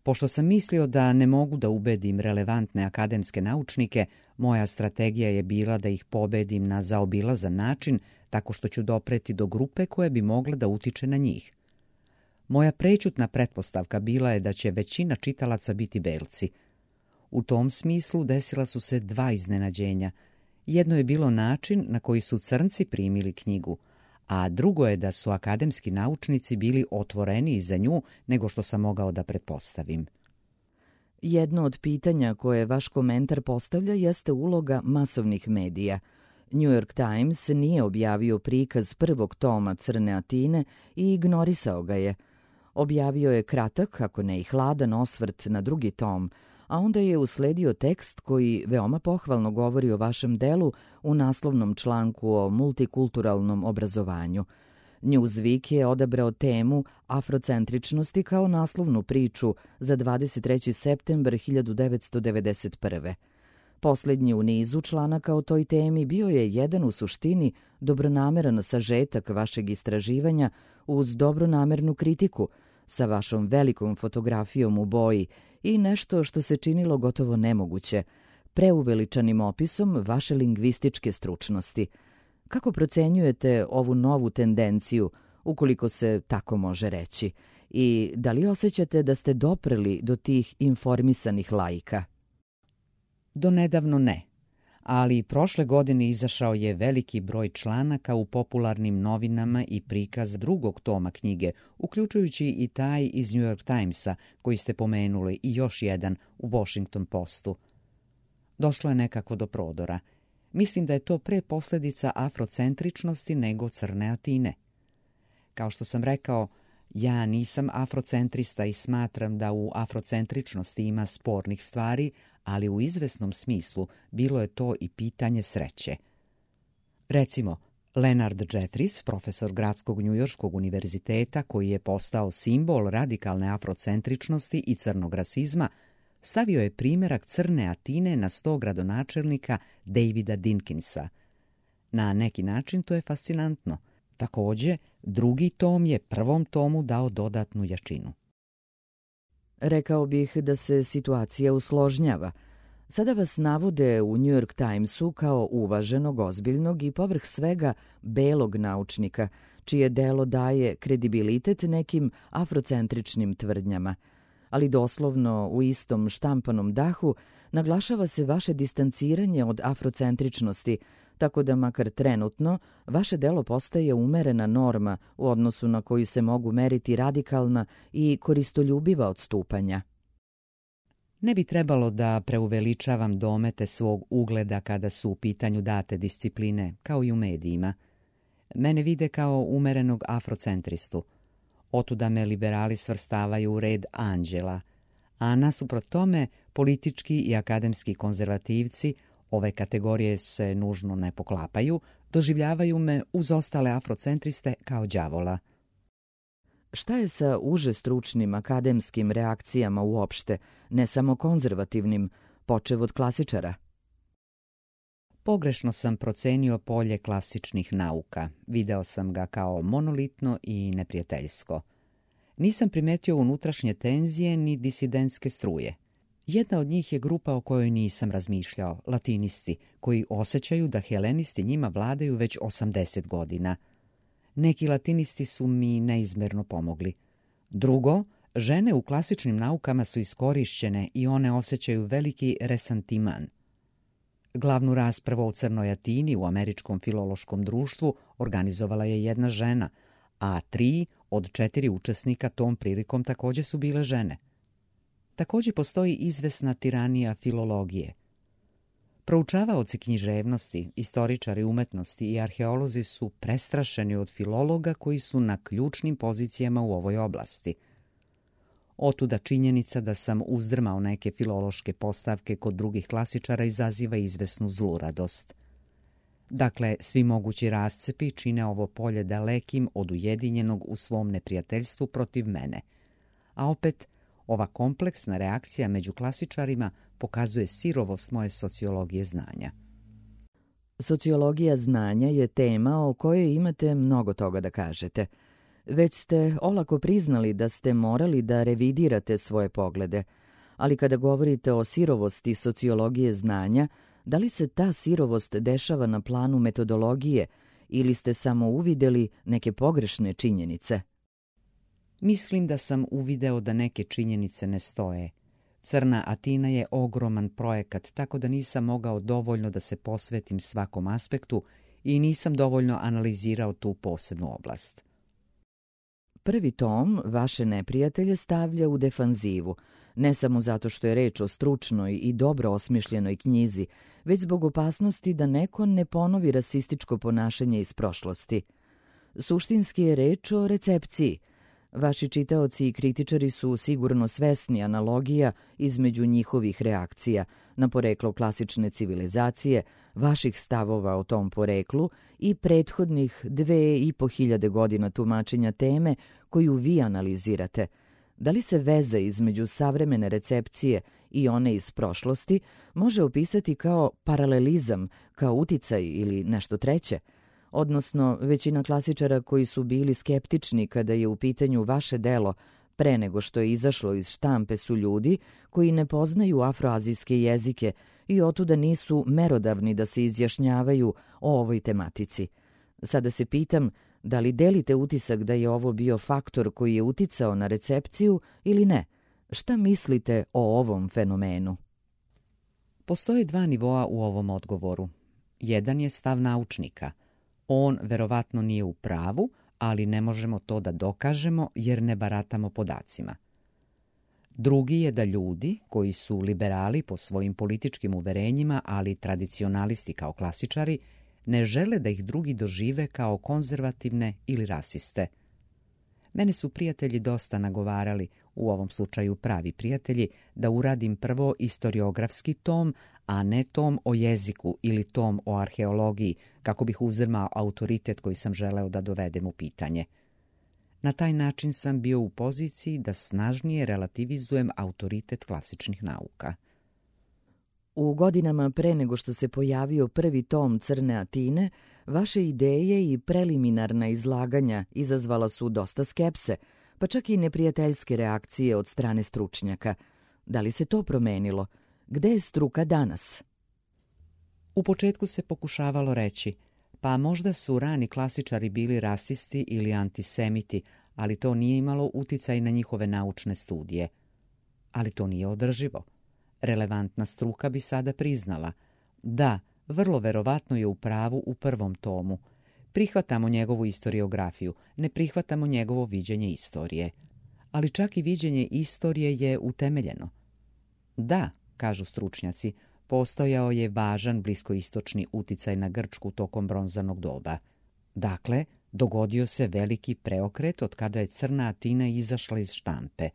Pošto sam mislio da ne mogu da ubedim relevantne akademske naučnike, moja strategija je bila da ih pobedim na zaobilazan način tako što ću dopreti do grupe koja bi mogla da utiče na njih. Moja prećutna pretpostavka bila je da će većina čitalaca biti belci. U tom smislu desila su se dva iznenađenja. Jedno je bilo način na koji su crnci primili knjigu, a drugo je da su akademski naučnici bili otvoreniji za nju nego što sam mogao da pretpostavim. Jedno od pitanja koje vaš komentar postavlja jeste uloga masovnih medija. New York Times nije objavio prikaz prvog toma Crne Atine i ignorisao ga je. Objavio je kratak, ako ne i hladan osvrt na drugi tom, a onda je usledio tekst koji veoma pohvalno govori o vašem delu u naslovnom članku o multikulturalnom obrazovanju. Newsweek je odabrao temu afrocentričnosti kao naslovnu priču za 23. septembar 1991. Poslednji u nizu članaka o toj temi bio je jedan u suštini dobronameran sažetak vašeg istraživanja uz dobronamernu kritiku sa vašom velikom fotografijom u boji i nešto što se činilo gotovo nemoguće, preuveličanim opisom vaše lingvističke stručnosti. Kako procenjujete ovu novu tendenciju, ukoliko se tako može reći, i da li osjećate da ste dopreli do tih informisanih laika? Do nedavno ne, ali prošle godine izašao je veliki broj članaka u popularnim novinama i prikaz drugog toma knjige, uključujući i taj iz New York Timesa koji ste pomenuli i još jedan u Washington Postu. Došlo je nekako do prodora. Mislim da je to pre posledica afrocentričnosti nego Crne Atine. Kao što sam rekao, ja nisam afrocentrista i smatram da u afrocentričnosti ima spornih stvari, ali u izvesnom smislu bilo je to i pitanje sreće. Recimo, Leonard Jeffries, profesor Gradskog njujorškog univerziteta koji je postao simbol radikalne afrocentričnosti i crnog rasizma, stavio je primjerak Crne Atine na 100 gradonačelnika Davida Dinkinsa. Na neki način to je fascinantno. Takođe, drugi tom je prvom tomu dao dodatnu jačinu. Rekao bih da se situacija usložnjava. Sada vas navode u New York Timesu kao uvaženog, ozbiljnog i povrh svega belog naučnika, čije delo daje kredibilitet nekim afrocentričnim tvrdnjama. Ali doslovno u istom štampanom dahu naglašava se vaše distanciranje od afrocentričnosti, tako da makar trenutno vaše delo postaje umerena norma u odnosu na koju se mogu meriti radikalna i koristoljubiva odstupanja. Ne bi trebalo da preuveličavam domete svog ugleda kada su u pitanju date discipline, kao i u medijima. Mene vide kao umerenog afrocentristu. Otuda me liberali svrstavaju u red anđela, a nasuprot tome politički i akademski konzervativci, ove kategorije se nužno ne poklapaju, doživljavaju me uz ostale afrocentriste kao đavola. Šta je sa uže stručnim akademskim reakcijama uopšte, ne samo konzervativnim, počev od klasičara? Pogrešno sam procenio polje klasičnih nauka. Video sam ga kao monolitno i neprijateljsko. Nisam primetio unutrašnje tenzije ni disidentske struje. Jedna od njih je grupa o kojoj nisam razmišljao, latinisti, koji osjećaju da helenisti njima vladaju već 80 godina. Neki latinisti su mi neizmerno pomogli. Drugo, žene u klasičnim naukama su iskorišćene i one osjećaju veliki resantiman. Glavnu raspravu o crnoj Atini u Američkom filološkom društvu organizovala je jedna žena, a 3 od 4 učesnika tom prilikom također su bile žene. Također postoji izvesna tiranija filologije. Proučavaoci književnosti, istoričari umetnosti i arheolozi su prestrašeni od filologa koji su na ključnim pozicijama u ovoj oblasti. Otuda činjenica da sam uzdrmao neke filološke postavke kod drugih klasičara izaziva izvesnu zluradost. Dakle, svi mogući rascepi čine ovo polje dalekim od ujedinjenog u svom neprijateljstvu protiv mene. A opet, ova kompleksna reakcija među klasičarima pokazuje sirovost moje sociologije znanja. Sociologija znanja je tema o kojoj imate mnogo toga da kažete. Već ste olako priznali da ste morali da revidirate svoje poglede, ali kada govorite o sirovosti sociologije znanja, da li se ta sirovost dešava na planu metodologije ili ste samo uvideli neke pogrešne činjenice? Mislim da sam uvideo da neke činjenice ne stoje. Crna Atina je ogroman projekat, tako da nisam mogao dovoljno da se posvetim svakom aspektu i nisam dovoljno analizirao tu posebnu oblast. Prvi tom vaše neprijatelje stavlja u defanzivu, ne samo zato što je reč o stručnoj i dobro osmišljenoj knjizi, već zbog opasnosti da neko ne ponovi rasističko ponašanje iz prošlosti. Suštinski je reč o recepciji. Vaši čitaoci i kritičari su sigurno svesni analogija između njihovih reakcija na poreklo klasične civilizacije, vaših stavova o tom poreklu i prethodnih 2500 godina tumačenja teme koju vi analizirate. Da li se veza između savremene recepcije i one iz prošlosti može opisati kao paralelizam, kao uticaj ili nešto treće? Odnosno, većina klasičara koji su bili skeptični kada je u pitanju vaše delo pre nego što je izašlo iz štampe su ljudi koji ne poznaju afroazijske jezike i otuda nisu merodavni da se izjašnjavaju o ovoj tematici. Sada se pitam, da li delite utisak da je ovo bio faktor koji je uticao na recepciju ili ne? Šta mislite o ovom fenomenu? Postoje 2 nivoa u ovom odgovoru. Jedan je stav naučnika. On verovatno nije u pravu, ali ne možemo to da dokažemo jer ne baratamo podacima. Drugi je da ljudi, koji su liberali po svojim političkim uverenjima, ali tradicionalisti kao klasičari, ne žele da ih drugi dožive kao konzervativne ili rasiste. Mene su prijatelji dosta nagovarali, u ovom slučaju pravi prijatelji, da uradim prvo istoriografski tom, a ne tom o jeziku ili tom o arheologiji, kako bih uzdrmao autoritet koji sam želeo da dovedem u pitanje. Na taj način sam bio u poziciji da snažnije relativizujem autoritet klasičnih nauka. U godinama pre nego što se pojavio prvi tom Crne Atine, vaše ideje i preliminarna izlaganja izazvala su dosta skepse, pa čak i neprijateljske reakcije od strane stručnjaka. Da li se to promenilo? Gde je struka danas? U početku se pokušavalo reći, pa možda su rani klasičari bili rasisti ili antisemiti, ali to nije imalo uticaj na njihove naučne studije. Ali to nije održivo. Relevantna struka bi sada priznala. Da, vrlo verovatno je u pravu u prvom tomu. Prihvatamo njegovu istoriografiju, ne prihvatamo njegovo viđenje istorije. Ali čak i viđenje istorije je utemeljeno. Da, kažu stručnjaci, postojao je važan bliskoistočni uticaj na Grčku tokom bronzanog doba. Dakle, dogodio se veliki preokret od kada je Crna Atina izašla iz štampe.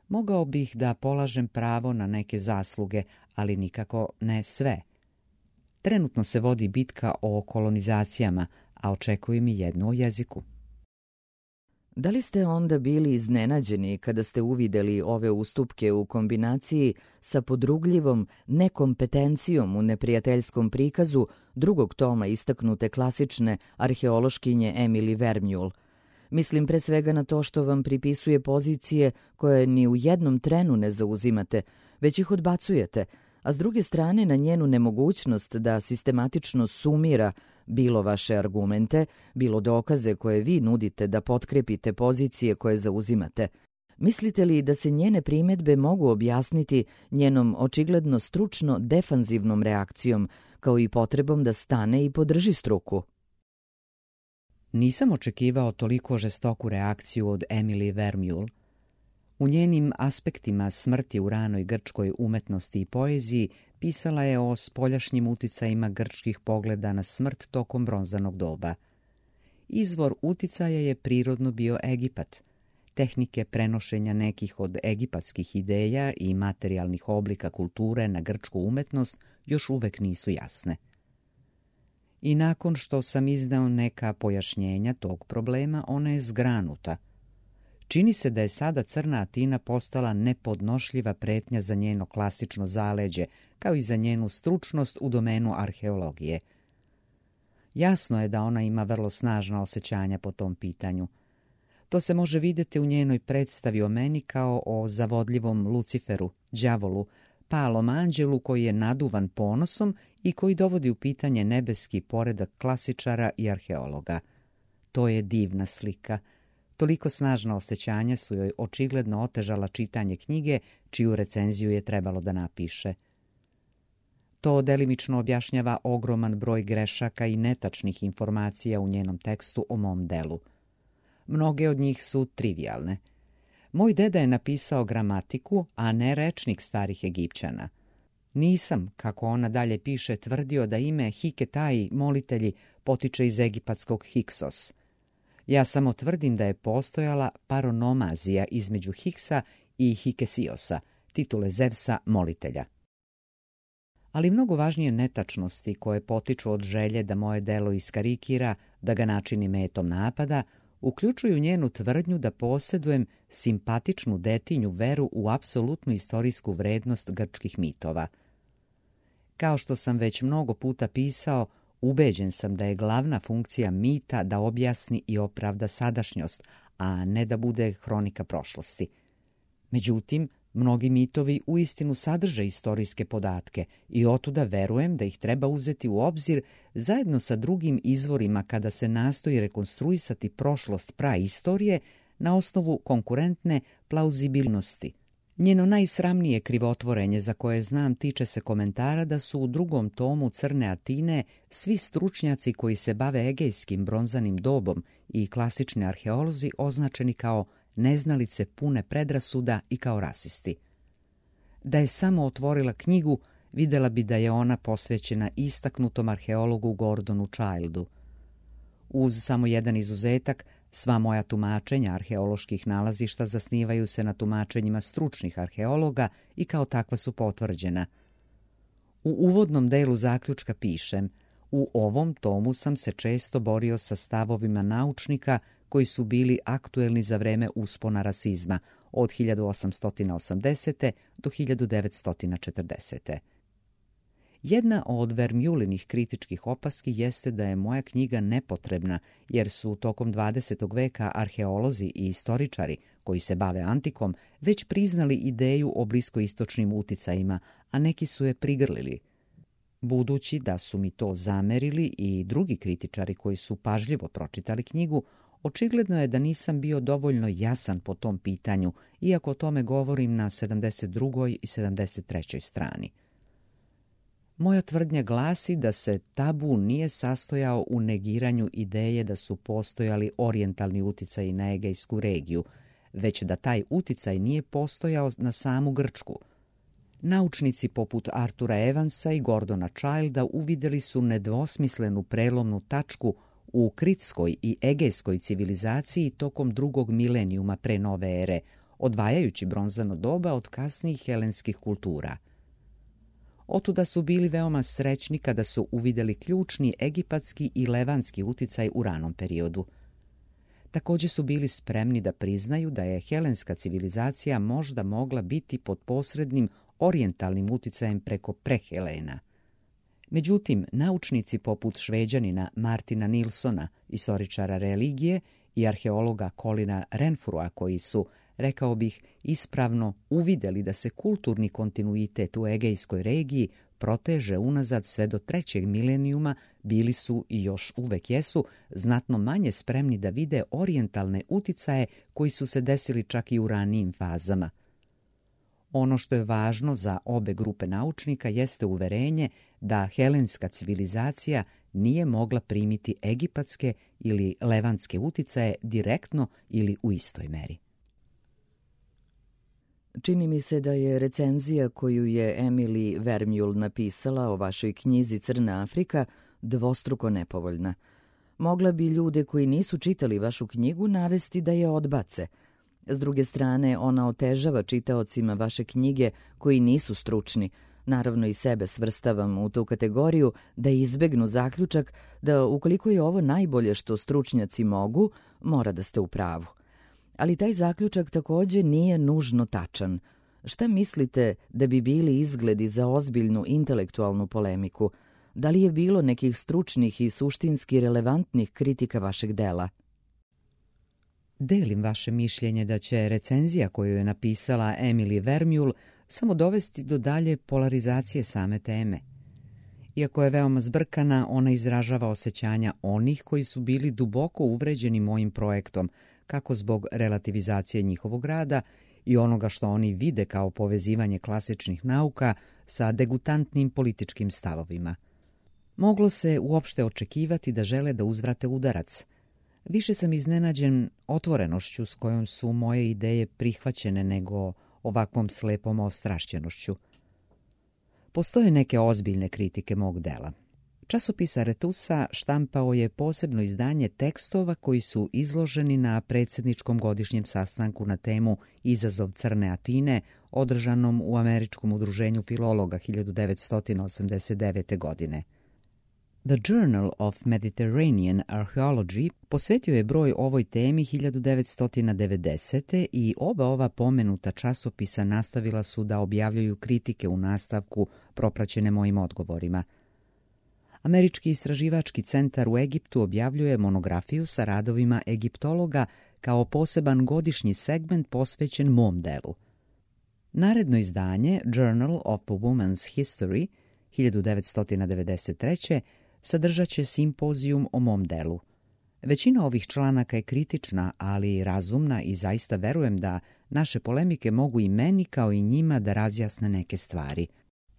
Mogao bih da polažem pravo na neke zasluge, ali nikako ne sve. Trenutno se vodi bitka o kolonizacijama, a očekujem i jednu o jeziku. Da li ste onda bili iznenađeni kada ste uvideli ove ustupke u kombinaciji sa podrugljivom nekompetencijom u neprijateljskom prikazu drugog toma istaknute klasične arheološkinje Emily Vermeulle? Mislim pre svega na to što vam pripisuje pozicije koje ni u jednom trenu ne zauzimate, već ih odbacujete, a s druge strane na njenu nemogućnost da sistematično sumira bilo vaše argumente, bilo dokaze koje vi nudite da potkrepite pozicije koje zauzimate. Mislite li da se njene primjedbe mogu objasniti njenom očigledno stručno defanzivnom reakcijom, kao i potrebom da stane i podrži struku? Nisam očekivao toliko žestoku reakciju od Emily Vermeulle. U njenim aspektima smrti u ranoj grčkoj umetnosti i poeziji pisala je o spoljašnjim uticajima grčkih pogleda na smrt tokom bronzanog doba. Izvor uticaja je prirodno bio Egipat. Tehnike prenošenja nekih od egipatskih ideja i materijalnih oblika kulture na grčku umetnost još uvek nisu jasne. I nakon što sam iznao neka pojašnjenja tog problema, ona je zgranuta. Čini se da je sada Crna Atina postala nepodnošljiva pretnja za njeno klasično zaleđe, kao i za njenu stručnost u domenu arheologije. Jasno je da ona ima vrlo snažna osjećanja po tom pitanju. To se može vidjeti u njenoj predstavi o meni kao o zavodljivom Luciferu, đavolu, palom anđelu koji je naduvan ponosom i koji dovodi u pitanje nebeski poredak klasičara i arheologa. To je divna slika. Toliko snažna osjećanja su joj očigledno otežala čitanje knjige, čiju recenziju je trebalo da napiše. To delimično objašnjava ogroman broj grešaka i netačnih informacija u njenom tekstu o mom delu. Mnoge od njih su trivijalne. Moj deda je napisao gramatiku, a ne rečnik starih Egipćana. Nisam, kako ona dalje piše, tvrdio da ime Hiketai, molitelji, potiče iz egipatskog Hiksos. Ja samo tvrdim da je postojala paronomazija između Hiksa i Hikesiosa, titule Zevsa molitelja. Ali mnogo važnije netačnosti koje potiču od želje da moje delo iskarikira, da ga načini metom napada, uključuju njenu tvrdnju da posjedujem simpatičnu detinju veru u apsolutnu istorijsku vrednost grčkih mitova. Kao što sam već mnogo puta pisao, ubeđen sam da je glavna funkcija mita da objasni i opravda sadašnjost, a ne da bude hronika prošlosti. Međutim, mnogi mitovi uistinu sadrže istorijske podatke i otuda verujem da ih treba uzeti u obzir zajedno sa drugim izvorima kada se nastoji rekonstruisati prošlost praistorije na osnovu konkurentne plauzibilnosti. Njeno najsramnije krivotvorenje za koje znam tiče se komentara da su u drugom tomu Crne Atine svi stručnjaci koji se bave egejskim bronzanim dobom i klasični arheolozi označeni kao neznalice pune predrasuda i kao rasisti. Da je samo otvorila knjigu, vidjela bi da je ona posvećena istaknutom arheologu Gordonu Childu. Uz samo jedan izuzetak, sva moja tumačenja arheoloških nalazišta zasnivaju se na tumačenjima stručnih arheologa i kao takva su potvrđena. U uvodnom delu zaključka pišem: u ovom tomu sam se često borio sa stavovima naučnika koji su bili aktuelni za vreme uspona rasizma od 1880. do 1940. Jedna od Vermeulinih kritičkih opaski jeste da je moja knjiga nepotrebna, jer su tokom 20. veka arheolozi i istoričari koji se bave antikom već priznali ideju o bliskoistočnim uticajima, a neki su je prigrlili. Budući da su mi to zamerili i drugi kritičari koji su pažljivo pročitali knjigu, očigledno je da nisam bio dovoljno jasan po tom pitanju, iako o tome govorim na 72. i 73. strani. Moja tvrdnja glasi da se tabu nije sastojao u negiranju ideje da su postojali orijentalni uticaji na Egejsku regiju, već da taj uticaj nije postojao na samu Grčku. Naučnici poput Artura Evansa i Gordona Childa uvidjeli su nedvosmislenu prelomnu tačku u kritskoj i egejskoj civilizaciji tokom drugog milenijuma pre nove ere, odvajajući bronzano doba od kasnijih helenskih kultura. Otuda su bili veoma srećni kada su uvidjeli ključni egipatski i levantski uticaj u ranom periodu. Također su bili spremni da priznaju da je helenska civilizacija možda mogla biti pod posrednim orijentalnim uticajem preko prehelena. Međutim, naučnici poput Šveđanina Martina Nilsona, istoričara religije, i arheologa Colina Renfrua, koji su, rekao bih, ispravno uvidjeli da se kulturni kontinuitet u Egejskoj regiji proteže unazad sve do 3. milenijuma, bili su i još uvek jesu znatno manje spremni da vide orijentalne uticaje koji su se desili čak i u ranijim fazama. Ono što je važno za obe grupe naučnika jeste uverenje da helenska civilizacija nije mogla primiti egipatske ili levantske uticaje direktno ili u istoj meri. Čini mi se da je recenzija koju je Emily Vermeulen napisala o vašoj knjizi Crna Afrika dvostruko nepovoljna. Mogla bi ljude koji nisu čitali vašu knjigu navesti da je odbace. S druge strane, ona otežava čitaocima vaše knjige koji nisu stručni. Naravno i sebe svrstavam u tu kategoriju da izbegnu zaključak da ukoliko je ovo najbolje što stručnjaci mogu, mora da ste u pravu. Ali taj zaključak također nije nužno tačan. Šta mislite da bi bili izgledi za ozbiljnu intelektualnu polemiku? Da li je bilo nekih stručnih i suštinski relevantnih kritika vašeg dela? Delim vaše mišljenje da će recenzija koju je napisala Emily Vermeulen samo dovesti do dalje polarizacije same teme. Iako je veoma zbrkana, ona izražava osjećanja onih koji su bili duboko uvređeni mojim projektom, kako zbog relativizacije njihovog rada i onoga što oni vide kao povezivanje klasičnih nauka sa degutantnim političkim stavovima. Moglo se uopšte očekivati da žele da uzvrate udarac. Više sam iznenađen otvorenošću s kojom su moje ideje prihvaćene nego ovakvom slepom ostrašćenošću. Postoje neke ozbiljne kritike mog dela. Časopis Aretusa štampao je posebno izdanje tekstova koji su izloženi na predsjedničkom godišnjem sastanku na temu Izazov Crne Atine, održanom u Američkom udruženju filologa 1989. godine. The Journal of Mediterranean Archaeology posvetio je broj ovoj temi 1990. i oba ova pomenuta časopisa nastavila su da objavljuju kritike u nastavku propraćene mojim odgovorima. Američki istraživački centar u Egiptu objavljuje monografiju sa radovima egiptologa kao poseban godišnji segment posvećen mom delu. Naredno izdanje, Journal of a Woman's History, 1993. sadržat će simpozijum o mom delu. Većina ovih članaka je kritična, ali i razumna i zaista verujem da naše polemike mogu i meni kao i njima da razjasne neke stvari.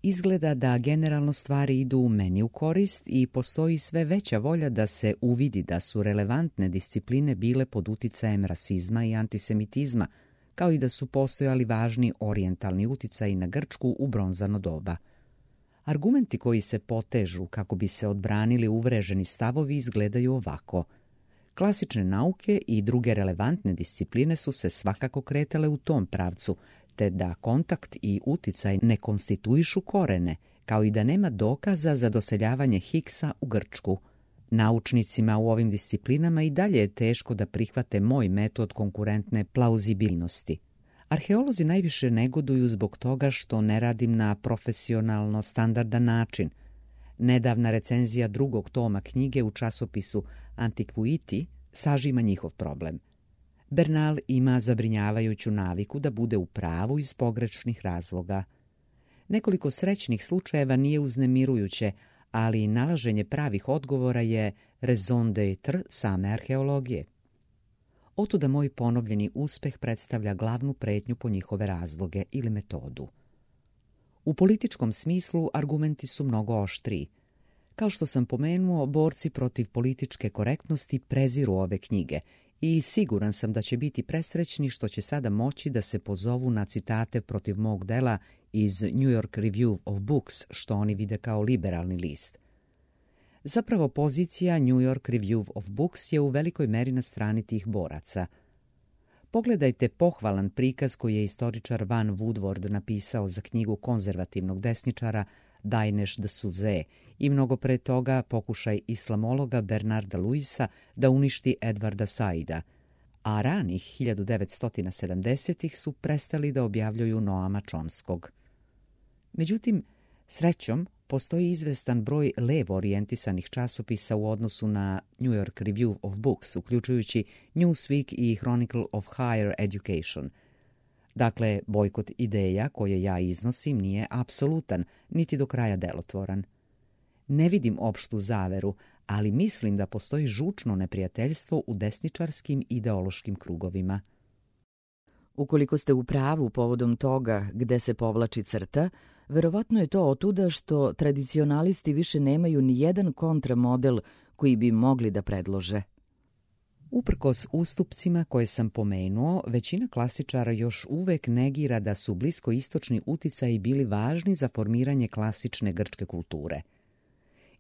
Izgleda da generalno stvari idu meni u korist i postoji sve veća volja da se uvidi da su relevantne discipline bile pod uticajem rasizma i antisemitizma, kao i da su postojali važni orijentalni uticaji na Grčku u bronzano doba. Argumenti koji se potežu kako bi se odbranili uvreženi stavovi izgledaju ovako. Klasične nauke i druge relevantne discipline su se svakako kretale u tom pravcu, te da kontakt i uticaj ne konstituišu korene, kao i da nema dokaza za doseljavanje Higgsa u Grčku. Naučnicima u ovim disciplinama i dalje je teško da prihvate moj metod konkurentne plauzibilnosti. Arheolozi najviše negoduju zbog toga što ne radim na profesionalno standardan način. Nedavna recenzija drugog toma knjige u časopisu Antiquity sažima njihov problem. Bernal ima zabrinjavajuću naviku da bude u pravu iz pogrešnih razloga. Nekoliko srećnih slučajeva nije uznemirujuće, ali nalaženje pravih odgovora je raison d'être same arheologije. Otuda moj ponovljeni uspeh predstavlja glavnu pretnju po njihove razloge ili metodu. U političkom smislu argumenti su mnogo oštriji. Kao što sam pomenuo, borci protiv političke korektnosti preziru ove knjige i siguran sam da će biti presrećni što će sada moći da se pozovu na citate protiv mog dela iz New York Review of Books, što oni vide kao liberalni list. Zapravo pozicija New York Review of Books je u velikoj meri na strani tih boraca. Pogledajte pohvalan prikaz koji je istoričar Van Woodward napisao za knjigu konzervativnog desničara Danesh D'Souza i mnogo pre toga pokušaj islamologa Bernarda Luisa da uništi Edwarda Saida, a ranih 1970-ih su prestali da objavljuju Noama Chomskog. Međutim, srećom, postoji izvestan broj levo orijentisanih časopisa u odnosu na New York Review of Books, uključujući Newsweek i Chronicle of Higher Education. Dakle, bojkot ideja koje ja iznosim nije apsolutan, niti do kraja delotvoran. Ne vidim opštu zaveru, ali mislim da postoji žučno neprijateljstvo u desničarskim ideološkim krugovima. Ukoliko ste u pravu povodom toga gde se povlači crta, verovatno je to otuda što tradicionalisti više nemaju ni jedan kontramodel koji bi mogli da predlože. Uprkos ustupcima koje sam pomenuo, većina klasičara još uvek negira da su bliskoistočni uticaji bili važni za formiranje klasične grčke kulture.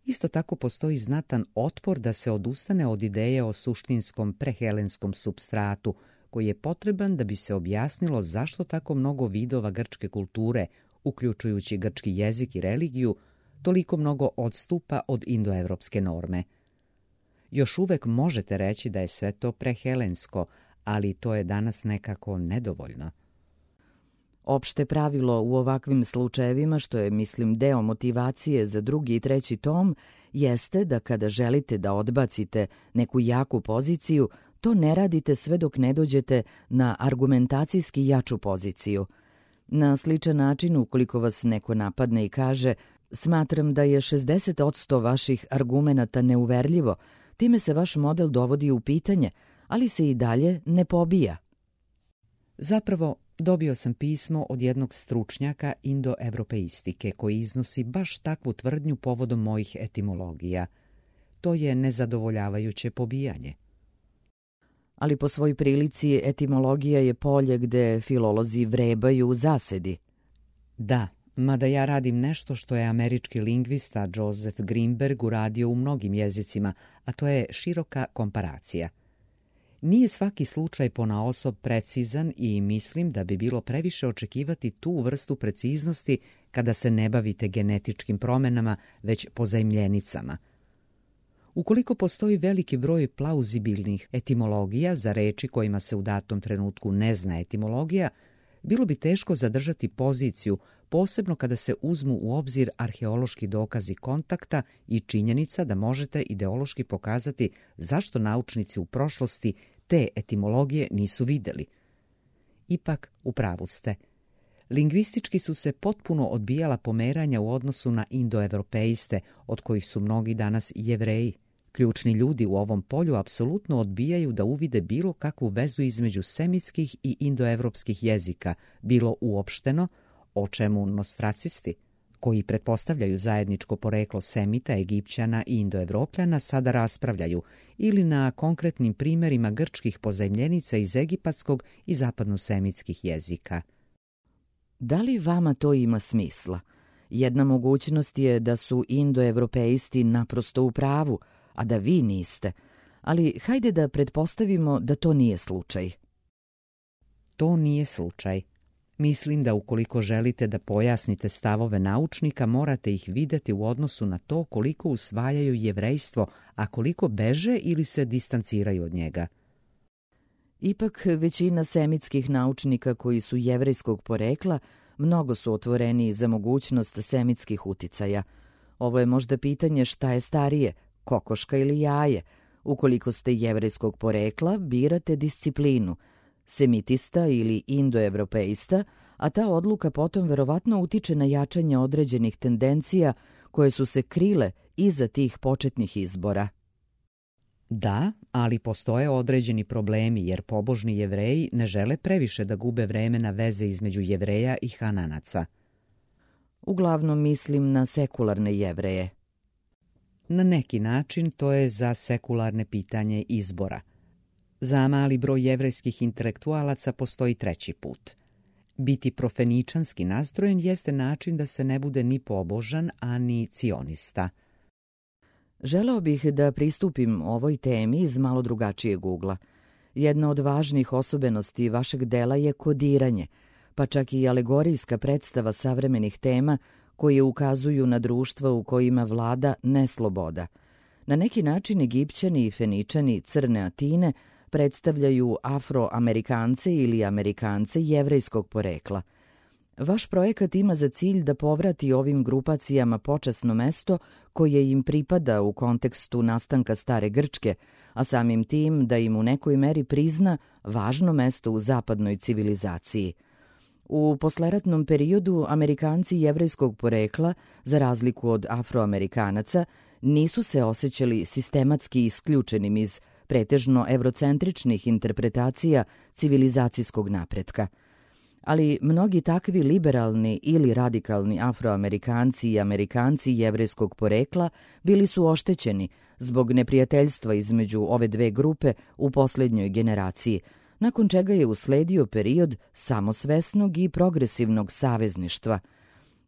Isto tako postoji znatan otpor da se odustane od ideje o suštinskom prehelenskom supstratu, koji je potreban da bi se objasnilo zašto tako mnogo vidova grčke kulture, uključujući grčki jezik i religiju, toliko mnogo odstupa od indoevropske norme. Još uvek možete reći da je sve to prehelensko, ali to je danas nekako nedovoljno. Opšte pravilo u ovakvim slučajevima, što je, mislim, deo motivacije za drugi i treći tom, jeste da kada želite da odbacite neku jaku poziciju, to ne radite sve dok ne dođete na argumentacijski jaču poziciju. Na sličan način, ukoliko vas neko napadne i kaže smatram da je 60% vaših argumenata neuverljivo, time se vaš model dovodi u pitanje, ali se i dalje ne pobija. Zapravo, dobio sam pismo od jednog stručnjaka indoevropeistike koji iznosi baš takvu tvrdnju povodom mojih etimologija. To je nezadovoljavajuće pobijanje. Ali po svoj prilici etimologija je polje gde filolozi vrebaju u zasedi. Da, mada ja radim nešto što je američki lingvista Joseph Greenberg uradio u mnogim jezicima, a to je široka komparacija. Nije svaki slučaj ponaosob precizan i mislim da bi bilo previše očekivati tu vrstu preciznosti kada se ne bavite genetičkim promenama, već pozajmljenicama. Ukoliko postoji veliki broj plauzibilnih etimologija za reči kojima se u datom trenutku ne zna etimologija, bilo bi teško zadržati poziciju, posebno kada se uzmu u obzir arheološki dokazi kontakta i činjenica da možete ideološki pokazati zašto naučnici u prošlosti te etimologije nisu videli. Ipak, u pravu ste. Lingvistički su se potpuno odbijala pomeranja u odnosu na indoevropeiste, od kojih su mnogi danas Jevreji. Ključni ljudi u ovom polju apsolutno odbijaju da uvide bilo kakvu vezu između semitskih i indoevropskih jezika, bilo uopšteno, o čemu nostracisti, koji pretpostavljaju zajedničko poreklo Semita, Egipćana i Indoevropljana, sada raspravljaju, ili na konkretnim primjerima grčkih pozajmljenica iz egipatskog i zapadnosemitskih jezika. Da li vama to ima smisla? Jedna mogućnost je da su indoevropeisti naprosto u pravu, a da vi niste. Ali hajde da pretpostavimo da to nije slučaj. To nije slučaj. Mislim da ukoliko želite da pojasnite stavove naučnika, morate ih videti u odnosu na to koliko usvajaju jevrejstvo, a koliko beže ili se distanciraju od njega. Ipak, većina semitskih naučnika koji su jevrejskog porekla mnogo su otvoreni za mogućnost semitskih uticaja. Ovo je možda pitanje šta je starije, kokoška ili jaje. Ukoliko ste jevrejskog porekla, birate disciplinu, semitista ili indoevropeista, a ta odluka potom verovatno utiče na jačanje određenih tendencija koje su se krile iza tih početnih izbora. Da, ali postoje određeni problemi jer pobožni Jevreji ne žele previše da gube vreme na veze između Jevreja i Hananaca. Uglavnom mislim na sekularne Jevreje. Na neki način to je za sekularne pitanje izbora. Za mali broj jevrejskih intelektualaca postoji treći put. Biti profeničanski nastrojen jeste način da se ne bude ni pobožan, a ni cionista. Želeo bih da pristupim ovoj temi iz malo drugačijeg ugla. Jedna od važnih osobenosti vašeg dela je kodiranje, pa čak i alegorijska predstava savremenih tema koje ukazuju na društva u kojima vlada nesloboda. Na neki način Egipćani i Feničani Crne Atine predstavljaju Afroamerikance ili Amerikance jevrejskog porekla. Vaš projekat ima za cilj da povrati ovim grupacijama počasno mesto koje im pripada u kontekstu nastanka stare Grčke, a samim tim da im u nekoj meri prizna važno mesto u zapadnoj civilizaciji. U posleratnom periodu Amerikanci jevrejskog porekla, za razliku od Afroamerikanaca, nisu se osjećali sistematski isključenim iz pretežno evrocentričnih interpretacija civilizacijskog napretka. Ali mnogi takvi liberalni ili radikalni Afroamerikanci i Amerikanci jevrejskog porekla bili su oštećeni zbog neprijateljstva između ove dve grupe u posljednjoj generaciji, nakon čega je usledio period samosvesnog i progresivnog savezništva.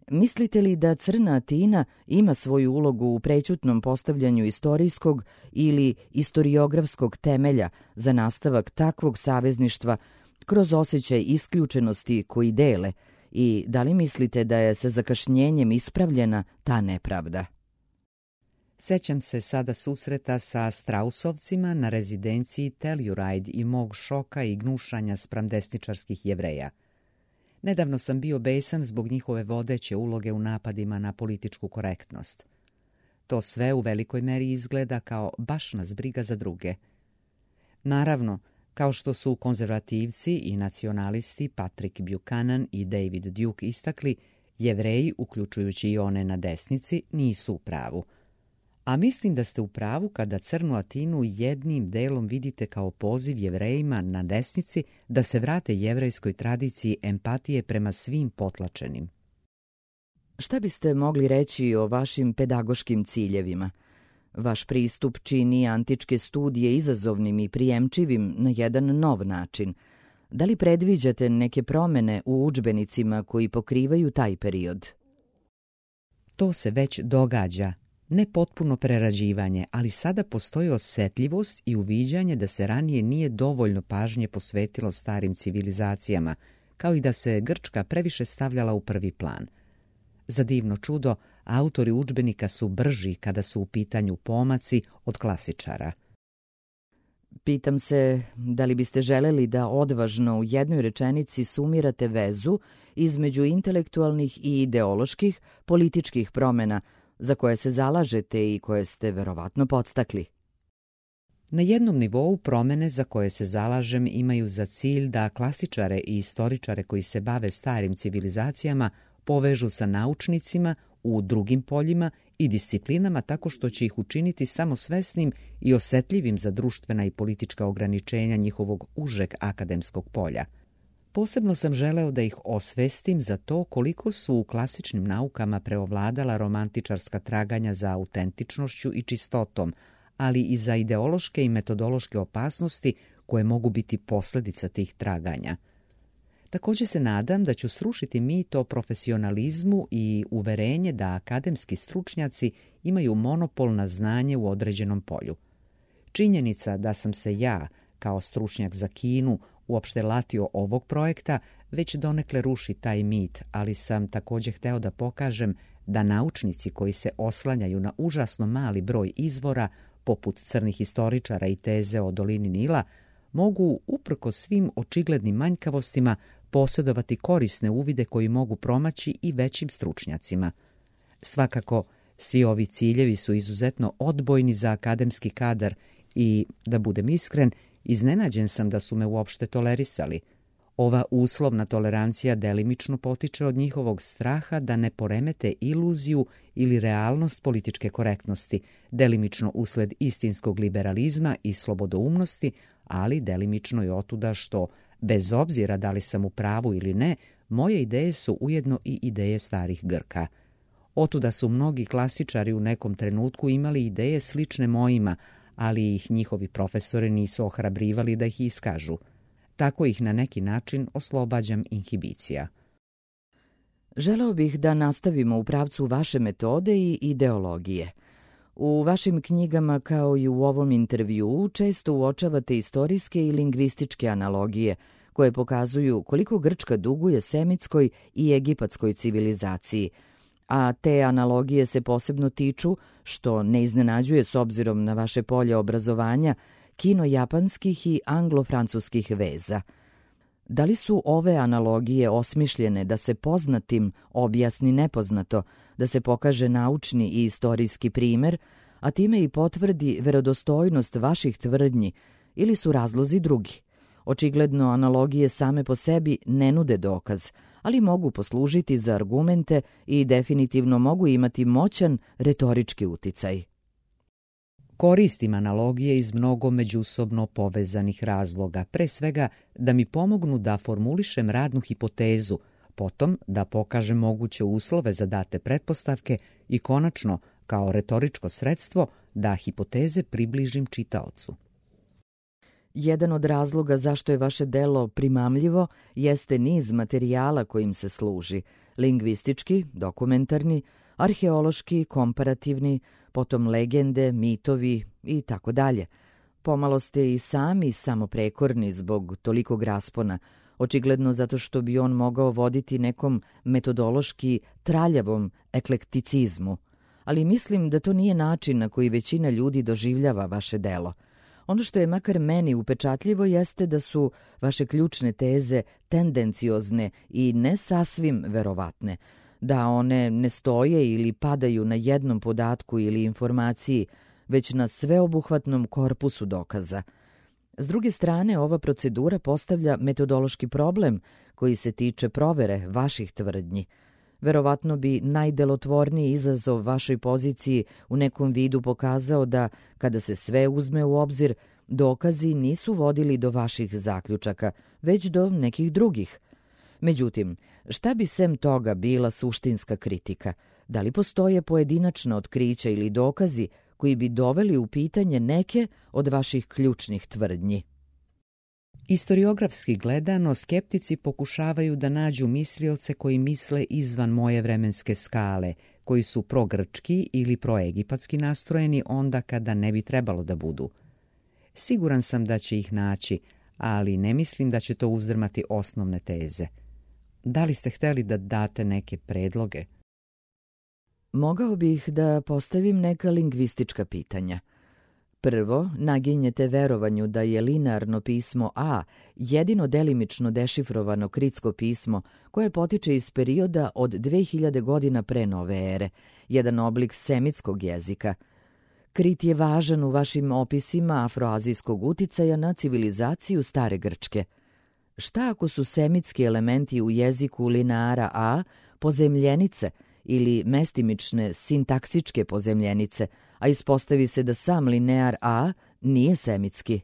Mislite li da Crna Atina ima svoju ulogu u prećutnom postavljanju istorijskog ili istoriografskog temelja za nastavak takvog savezništva kroz osjećaj isključenosti koji dele, i da li mislite da je sa zakašnjenjem ispravljena ta nepravda? Sećam se sada susreta sa Strausovcima na rezidenciji Telluride i mog šoka i gnušanja spram desničarskih Jevreja. Nedavno sam bio besan zbog njihove vodeće uloge u napadima na političku korektnost. To sve u velikoj meri izgleda kao baš nas briga za druge. Naravno, kao što su konzervativci i nacionalisti Patrick Buchanan i David Duke istakli, Jevreji, uključujući i one na desnici, nisu u pravu. A mislim da ste u pravu kada Crnu Atinu jednim delom vidite kao poziv Jevrejima na desnici da se vrate jevrejskoj tradiciji empatije prema svim potlačenim. Šta biste mogli reći o vašim pedagoškim ciljevima? Vaš pristup čini antičke studije izazovnim i prijemčivim na jedan nov način. Da li predviđate neke promene u udžbenicima koji pokrivaju taj period? To se već događa. Ne potpuno prerađivanje, ali sada postoji osjetljivost i uviđanje da se ranije nije dovoljno pažnje posvetilo starim civilizacijama, kao i da se Grčka previše stavljala u prvi plan. Za divno čudo, autori udžbenika su brži kada su u pitanju pomaci od klasičara. Pitam se da li biste želeli da odvažno u jednoj rečenici sumirate vezu između intelektualnih i ideoloških političkih promjena za koje se zalažete i koje ste verovatno podstakli. Na jednom nivou promjene za koje se zalažem imaju za cilj da klasičare i istoričare koji se bave starim civilizacijama povežu sa naučnicima u drugim poljima i disciplinama tako što će ih učiniti samosvesnim i osjetljivim za društvena i politička ograničenja njihovog užeg akademskog polja. Posebno sam želeo da ih osvestim za to koliko su u klasičnim naukama preovladala romantičarska traganja za autentičnošću i čistotom, ali i za ideološke i metodološke opasnosti koje mogu biti posljedica tih traganja. Također se nadam da ću srušiti mit o profesionalizmu i uverenje da akademski stručnjaci imaju monopol na znanje u određenom polju. Činjenica da sam se ja, kao stručnjak za Kinu, uopšte latio ovog projekta, već donekle ruši taj mit, ali sam također hteo da pokažem da naučnici koji se oslanjaju na užasno mali broj izvora, poput crnih historičara i teze o dolini Nila, mogu, uprkos svim očiglednim manjkavostima, posjedovati korisne uvide koji mogu promaći i većim stručnjacima. Svakako, svi ovi ciljevi su izuzetno odbojni za akademski kadar i, da budem iskren, iznenađen sam da su me uopšte tolerisali. Ova uslovna tolerancija delimično potiče od njihovog straha da ne poremete iluziju ili realnost političke korektnosti, delimično usled istinskog liberalizma i slobodoumnosti, ali delimično i otuda što, bez obzira da li sam u pravu ili ne, moje ideje su ujedno i ideje starih Grka. Otuda su mnogi klasičari u nekom trenutku imali ideje slične mojima, ali ih njihovi profesori nisu ohrabrivali da ih iskažu. Tako ih na neki način oslobađam inhibicija. Želeo bih da nastavimo u pravcu vaše metode i ideologije. U vašim knjigama, kao i u ovom intervjuu, često uočavate istorijske i lingvističke analogije koje pokazuju koliko Grčka duguje semitskoj i egipatskoj civilizaciji, a te analogije se posebno tiču, što ne iznenađuje s obzirom na vaše polje obrazovanja, kino-japanskih i anglo-francuskih veza. Da li su ove analogije osmišljene da se poznatim objasni nepoznato, da se pokaže naučni i istorijski primer, a time i potvrdi verodostojnost vaših tvrdnji, ili su razlozi drugi? Očigledno, analogije same po sebi ne nude dokaz, ali mogu poslužiti za argumente i definitivno mogu imati moćan retorički uticaj. Koristim analogije iz mnogo međusobno povezanih razloga, pre svega da mi pomognu da formulišem radnu hipotezu, potom da pokažem moguće uslove za date pretpostavke i konačno, kao retoričko sredstvo, da hipoteze približim čitaocu. Jedan od razloga zašto je vaše delo primamljivo jeste niz materijala kojim se služi, lingvistički, dokumentarni, arheološki, komparativni, potom legende, mitovi i tako dalje. Pomalo ste i sami samoprekorni zbog tolikog raspona, očigledno zato što bi on mogao voditi nekom metodološki traljavom eklekticizmu. Ali mislim da to nije način na koji većina ljudi doživljava vaše delo. Ono što je makar meni upečatljivo jeste da su vaše ključne teze tendenciozne i ne sasvim verovatne, da one ne stoje ili padaju na jednom podatku ili informaciji, već na sveobuhvatnom korpusu dokaza. S druge strane, ova procedura postavlja metodološki problem koji se tiče provere vaših tvrdnji. Verovatno bi najdelotvorniji izazov vašoj poziciji u nekom vidu pokazao da, kada se sve uzme u obzir, dokazi nisu vodili do vaših zaključaka, već do nekih drugih. Međutim, šta bi sem toga bila suštinska kritika? Da li postoje pojedinačna otkrića ili dokazi koji bi doveli u pitanje neke od vaših ključnih tvrdnji? Istoriografski gledano, skeptici pokušavaju da nađu mislioce koji misle izvan moje vremenske skale, koji su progrčki ili proegipatski nastrojeni onda kada ne bi trebalo da budu. Siguran sam da će ih naći, ali ne mislim da će to uzdrmati osnovne teze. Da li ste hteli da date neke predloge? Mogao bih da postavim neka lingvistička pitanja. Prvo, naginjete verovanju da je linearno pismo A jedino delimično dešifrovano kritsko pismo koje potiče iz perioda od 2000 godina pre nove ere, jedan oblik semitskog jezika. Krit je važan u vašim opisima afroazijskog uticaja na civilizaciju stare Grčke. Šta ako su semitski elementi u jeziku lineara A pozemljenice ili mestimične sintaksičke pozemljenice, a ispostavi se da sam linear A nije semitski?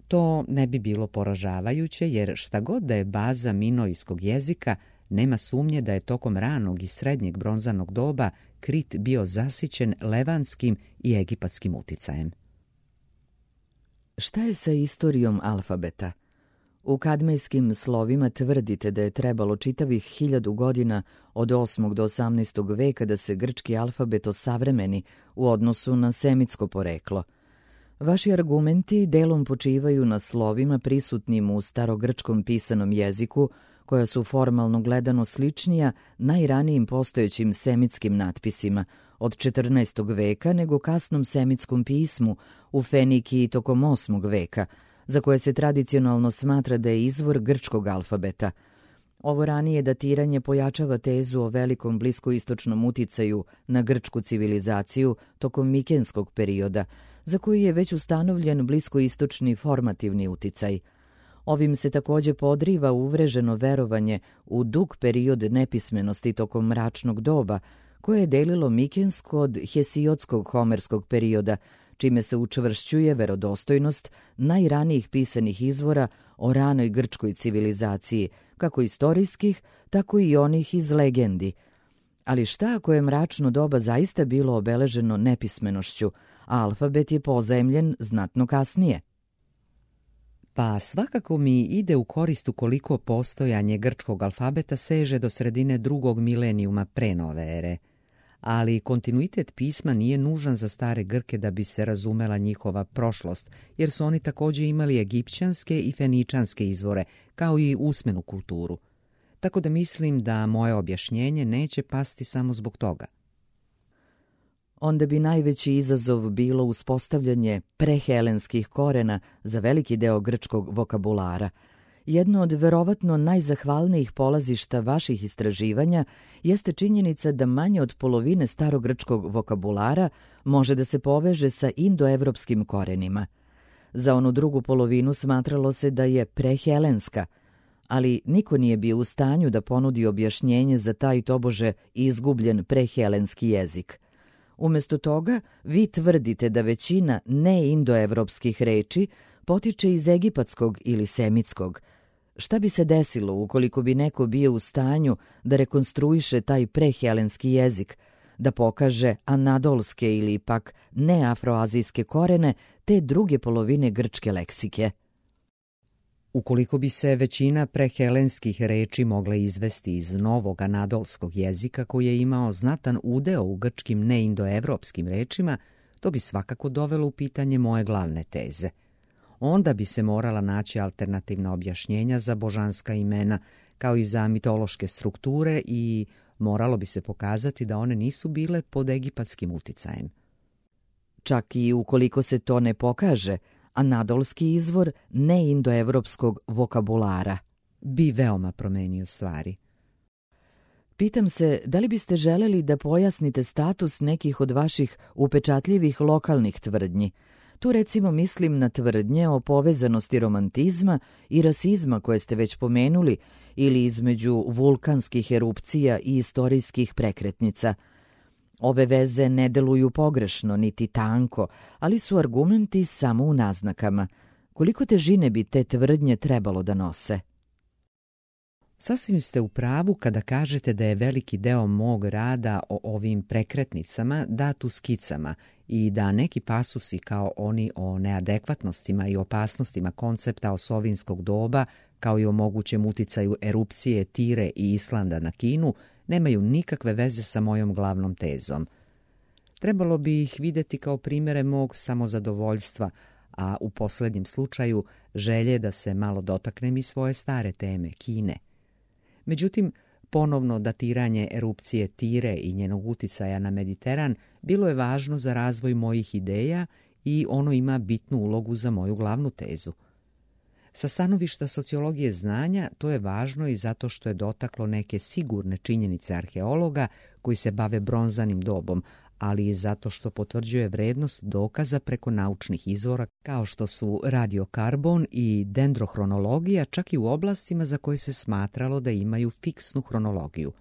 To ne bi bilo poražavajuće, jer šta god da je baza minojskog jezika, nema sumnje da je tokom ranog i srednjeg bronzanog doba Krit bio zasićen levanskim i egipatskim uticajem. Šta je sa istorijom alfabeta? U kadmejskim slovima tvrdite da je trebalo čitavih 1000 godina od 8. do 18. veka da se grčki alfabet osavremeni u odnosu na semitsko poreklo. Vaši argumenti delom počivaju na slovima prisutnim u starogrčkom pisanom jeziku, koja su formalno gledano sličnija najranijim postojećim semitskim natpisima od 14. veka nego kasnom semitskom pismu u Fenikiji tokom 8. veka, za koje se tradicionalno smatra da je izvor grčkog alfabeta. Ovo ranije datiranje pojačava tezu o velikom bliskoistočnom uticaju na grčku civilizaciju tokom mikenskog perioda, za koji je već ustanovljen bliskoistočni formativni uticaj. Ovim se takođe podriva uvreženo verovanje u dug period nepismenosti tokom mračnog doba, koje je delilo mikensko od hesiodskog homerskog perioda, čime se učvršćuje verodostojnost najranijih pisanih izvora o ranoj grčkoj civilizaciji, kako istorijskih, tako i onih iz legendi. Ali šta ako je mračno doba zaista bilo obeleženo nepismenošću, a alfabet je pozajemljen znatno kasnije? Pa svakako mi ide u korist ukoliko postojanje grčkog alfabeta seže do sredine 2. milenijuma pre nove ere. ali kontinuitet pisma nije nužan za stare Grke da bi se razumela njihova prošlost, jer su oni također imali egipćanske i feničanske izvore, kao i usmenu kulturu. Tako da mislim da moje objašnjenje neće pasti samo zbog toga. Onda bi najveći izazov bilo uspostavljanje prehelenskih korena za veliki deo grčkog vokabulara. Jedno od verovatno najzahvalnijih polazišta vaših istraživanja jeste činjenica da manje od polovine starogrčkog vokabulara može da se poveže sa indoevropskim korenima. Za onu drugu polovinu smatralo se da je prehelenska, ali niko nije bio u stanju da ponudi objašnjenje za taj tobože izgubljen prehelenski jezik. Umjesto toga, vi tvrdite da većina neindoevropskih reči potiče iz egipatskog ili semitskog. Šta bi se desilo ukoliko bi neko bio u stanju da rekonstruiše taj prehelenski jezik, da pokaže anadolske ili pak neafroazijske korene te druge polovine grčke leksike? Ukoliko bi se većina prehelenskih reči mogla izvesti iz novog anadolskog jezika koji je imao znatan udeo u grčkim neindoevropskim rečima, to bi svakako dovelo u pitanje moje glavne teze. Onda bi se morala naći alternativna objašnjenja za božanska imena, kao i za mitološke strukture, i moralo bi se pokazati da one nisu bile pod egipatskim uticajem. Čak i ukoliko se to ne pokaže, anadolski izvor neindoevropskog vokabulara bi veoma promenio stvari. Pitam se, da li biste želeli da pojasnite status nekih od vaših upečatljivih lokalnih tvrdnji? Tu recimo mislim na tvrdnje o povezanosti romantizma i rasizma koje ste već pomenuli, ili između vulkanskih erupcija i istorijskih prekretnica. Ove veze ne deluju pogrešno, niti tanko, ali su argumenti samo u naznakama. Koliko težine bi te tvrdnje trebalo da nose? Sasvim ste u pravu kada kažete da je veliki deo mog rada o ovim prekretnicama dat u skicama i da neki pasusi kao oni o neadekvatnostima i opasnostima koncepta osovinskog doba, kao i o mogućem uticaju erupcije Tire i Islanda na Kinu, nemaju nikakve veze sa mojom glavnom tezom. Trebalo bi ih vidjeti kao primjere mog samozadovoljstva, a u posljednjem slučaju želje da se malo dotaknem i svoje stare teme, Kine. Međutim, ponovno datiranje erupcije Tire i njenog uticaja na Mediteran bilo je važno za razvoj mojih ideja i ono ima bitnu ulogu za moju glavnu tezu. Sa stanovišta sociologije znanja to je važno i zato što je dotaklo neke sigurne činjenice arheologa koji se bave bronzanim dobom, ali i zato što potvrđuje vrednost dokaza preko naučnih izvora kao što su radiokarbon i dendrohronologija, čak i u oblastima za koje se smatralo da imaju fiksnu hronologiju.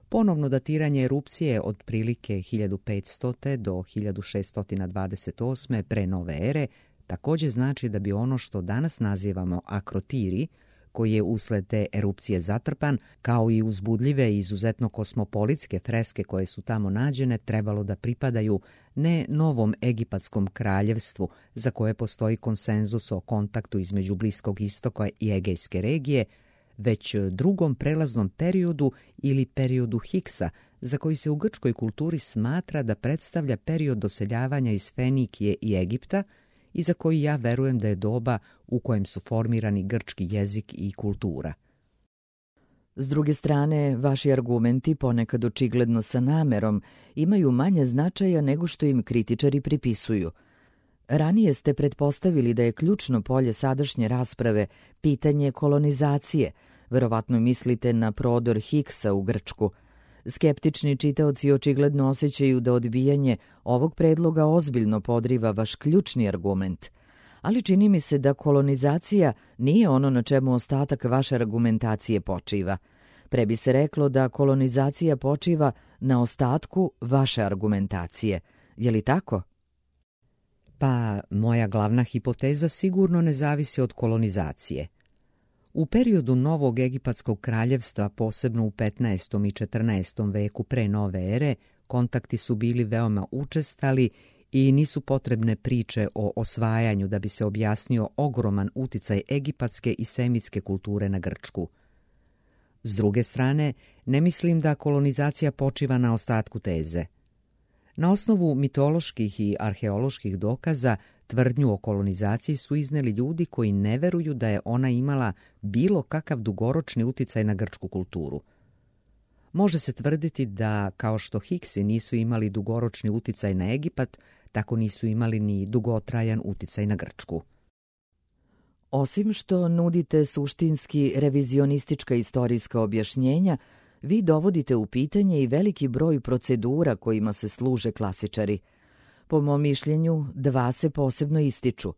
Ponovno datiranje erupcije od prilike 1500. do 1628. pre nove ere također znači da bi ono što danas nazivamo akrotiri, koji je usled te erupcije zatrpan, kao i uzbudljive i izuzetno kosmopolitske freske koje su tamo nađene, trebalo da pripadaju ne novom egipatskom kraljevstvu za koje postoji konsenzus o kontaktu između Bliskog istoka i Egejske regije, već drugom prelaznom periodu ili periodu Hiksa, za koji se u grčkoj kulturi smatra da predstavlja period doseljavanja iz Fenikije i Egipta i za koji ja verujem da je doba u kojem su formirani grčki jezik i kultura. S druge strane, vaši argumenti, ponekad očigledno sa namerom, imaju manje značaja nego što im kritičari pripisuju. Ranije ste pretpostavili da je ključno polje sadašnje rasprave pitanje kolonizacije, verovatno mislite na prodor Hiksa u Grčku. Skeptični čitaoci očigledno osjećaju da odbijanje ovog predloga ozbiljno podriva vaš ključni argument. Ali čini mi se da kolonizacija nije ono na čemu ostatak vaše argumentacije počiva. Pre bi se reklo da kolonizacija počiva na ostatku vaše argumentacije. Je li tako? Pa, moja glavna hipoteza sigurno ne zavisi od kolonizacije. U periodu novog egipatskog kraljevstva, posebno u 15. i 14. veku pre nove ere, kontakti su bili veoma učestali i nisu potrebne priče o osvajanju da bi se objasnio ogroman uticaj egipatske i semitske kulture na Grčku. S druge strane, ne mislim da kolonizacija počiva na ostatku teze. Na osnovu mitoloških i arheoloških dokaza, tvrdnju o kolonizaciji su izneli ljudi koji ne veruju da je ona imala bilo kakav dugoročni uticaj na grčku kulturu. Može se tvrditi da, kao što Hiksi nisu imali dugoročni uticaj na Egipat, tako nisu imali ni dugotrajan uticaj na Grčku. Osim što nudite suštinski revizionistička istorijska objašnjenja, vi dovodite u pitanje i veliki broj procedura kojima se služe klasičari. Po mom mišljenju, dva se posebno ističu.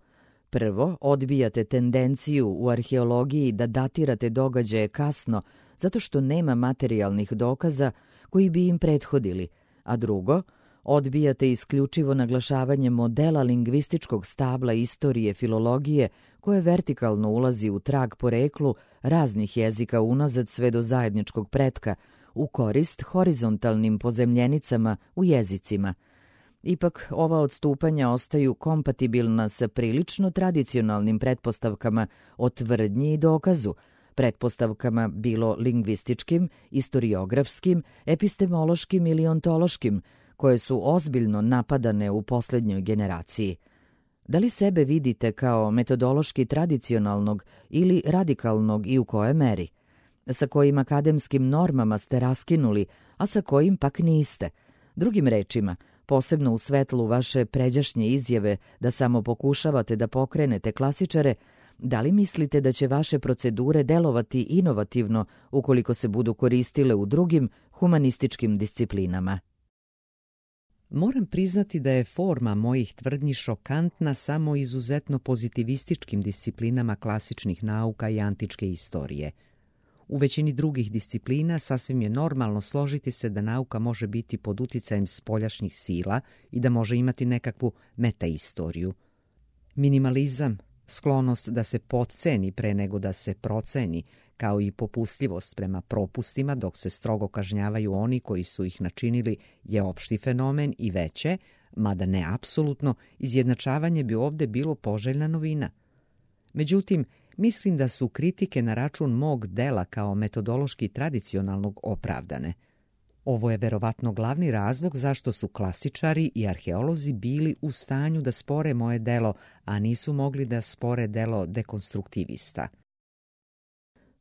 Prvo, odbijate tendenciju u arheologiji da datirate događaje kasno zato što nema materijalnih dokaza koji bi im prethodili, a drugo, odbijate isključivo naglašavanje modela lingvističkog stabla istorije filologije koje vertikalno ulazi u trag poreklu raznih jezika unazad sve do zajedničkog pretka, u korist horizontalnim pozemljenicama u jezicima. Ipak, ova odstupanja ostaju kompatibilna sa prilično tradicionalnim pretpostavkama o tvrdnji i dokazu, pretpostavkama bilo lingvističkim, istoriografskim, epistemološkim ili ontološkim, koje su ozbiljno napadane u posljednjoj generaciji. Da li sebe vidite kao metodološki tradicionalnog ili radikalnog i u kojoj meri? Sa kojim akademskim normama ste raskinuli, a sa kojim pak niste? Drugim rečima, posebno u svetlu vaše pređašnje izjave da samo pokušavate da pokrenete klasičare, da li mislite da će vaše procedure delovati inovativno ukoliko se budu koristile u drugim humanističkim disciplinama? Moram priznati da je forma mojih tvrdnji šokantna samo izuzetno pozitivističkim disciplinama klasičnih nauka i antičke istorije. U većini drugih disciplina sasvim je normalno složiti se da nauka može biti pod uticajem spoljašnjih sila i da može imati nekakvu metaistoriju. Minimalizam, sklonost da se potceni pre nego da se proceni, kao i popustljivost prema propustima dok se strogo kažnjavaju oni koji su ih načinili, je opšti fenomen i veće, mada ne apsolutno, izjednačavanje bi ovde bilo poželjna novina. Međutim, mislim da su kritike na račun mog dela kao metodološki tradicionalnog opravdane. Ovo je verovatno glavni razlog zašto su klasičari i arheolozi bili u stanju da spore moje delo, a nisu mogli da spore delo dekonstruktivista.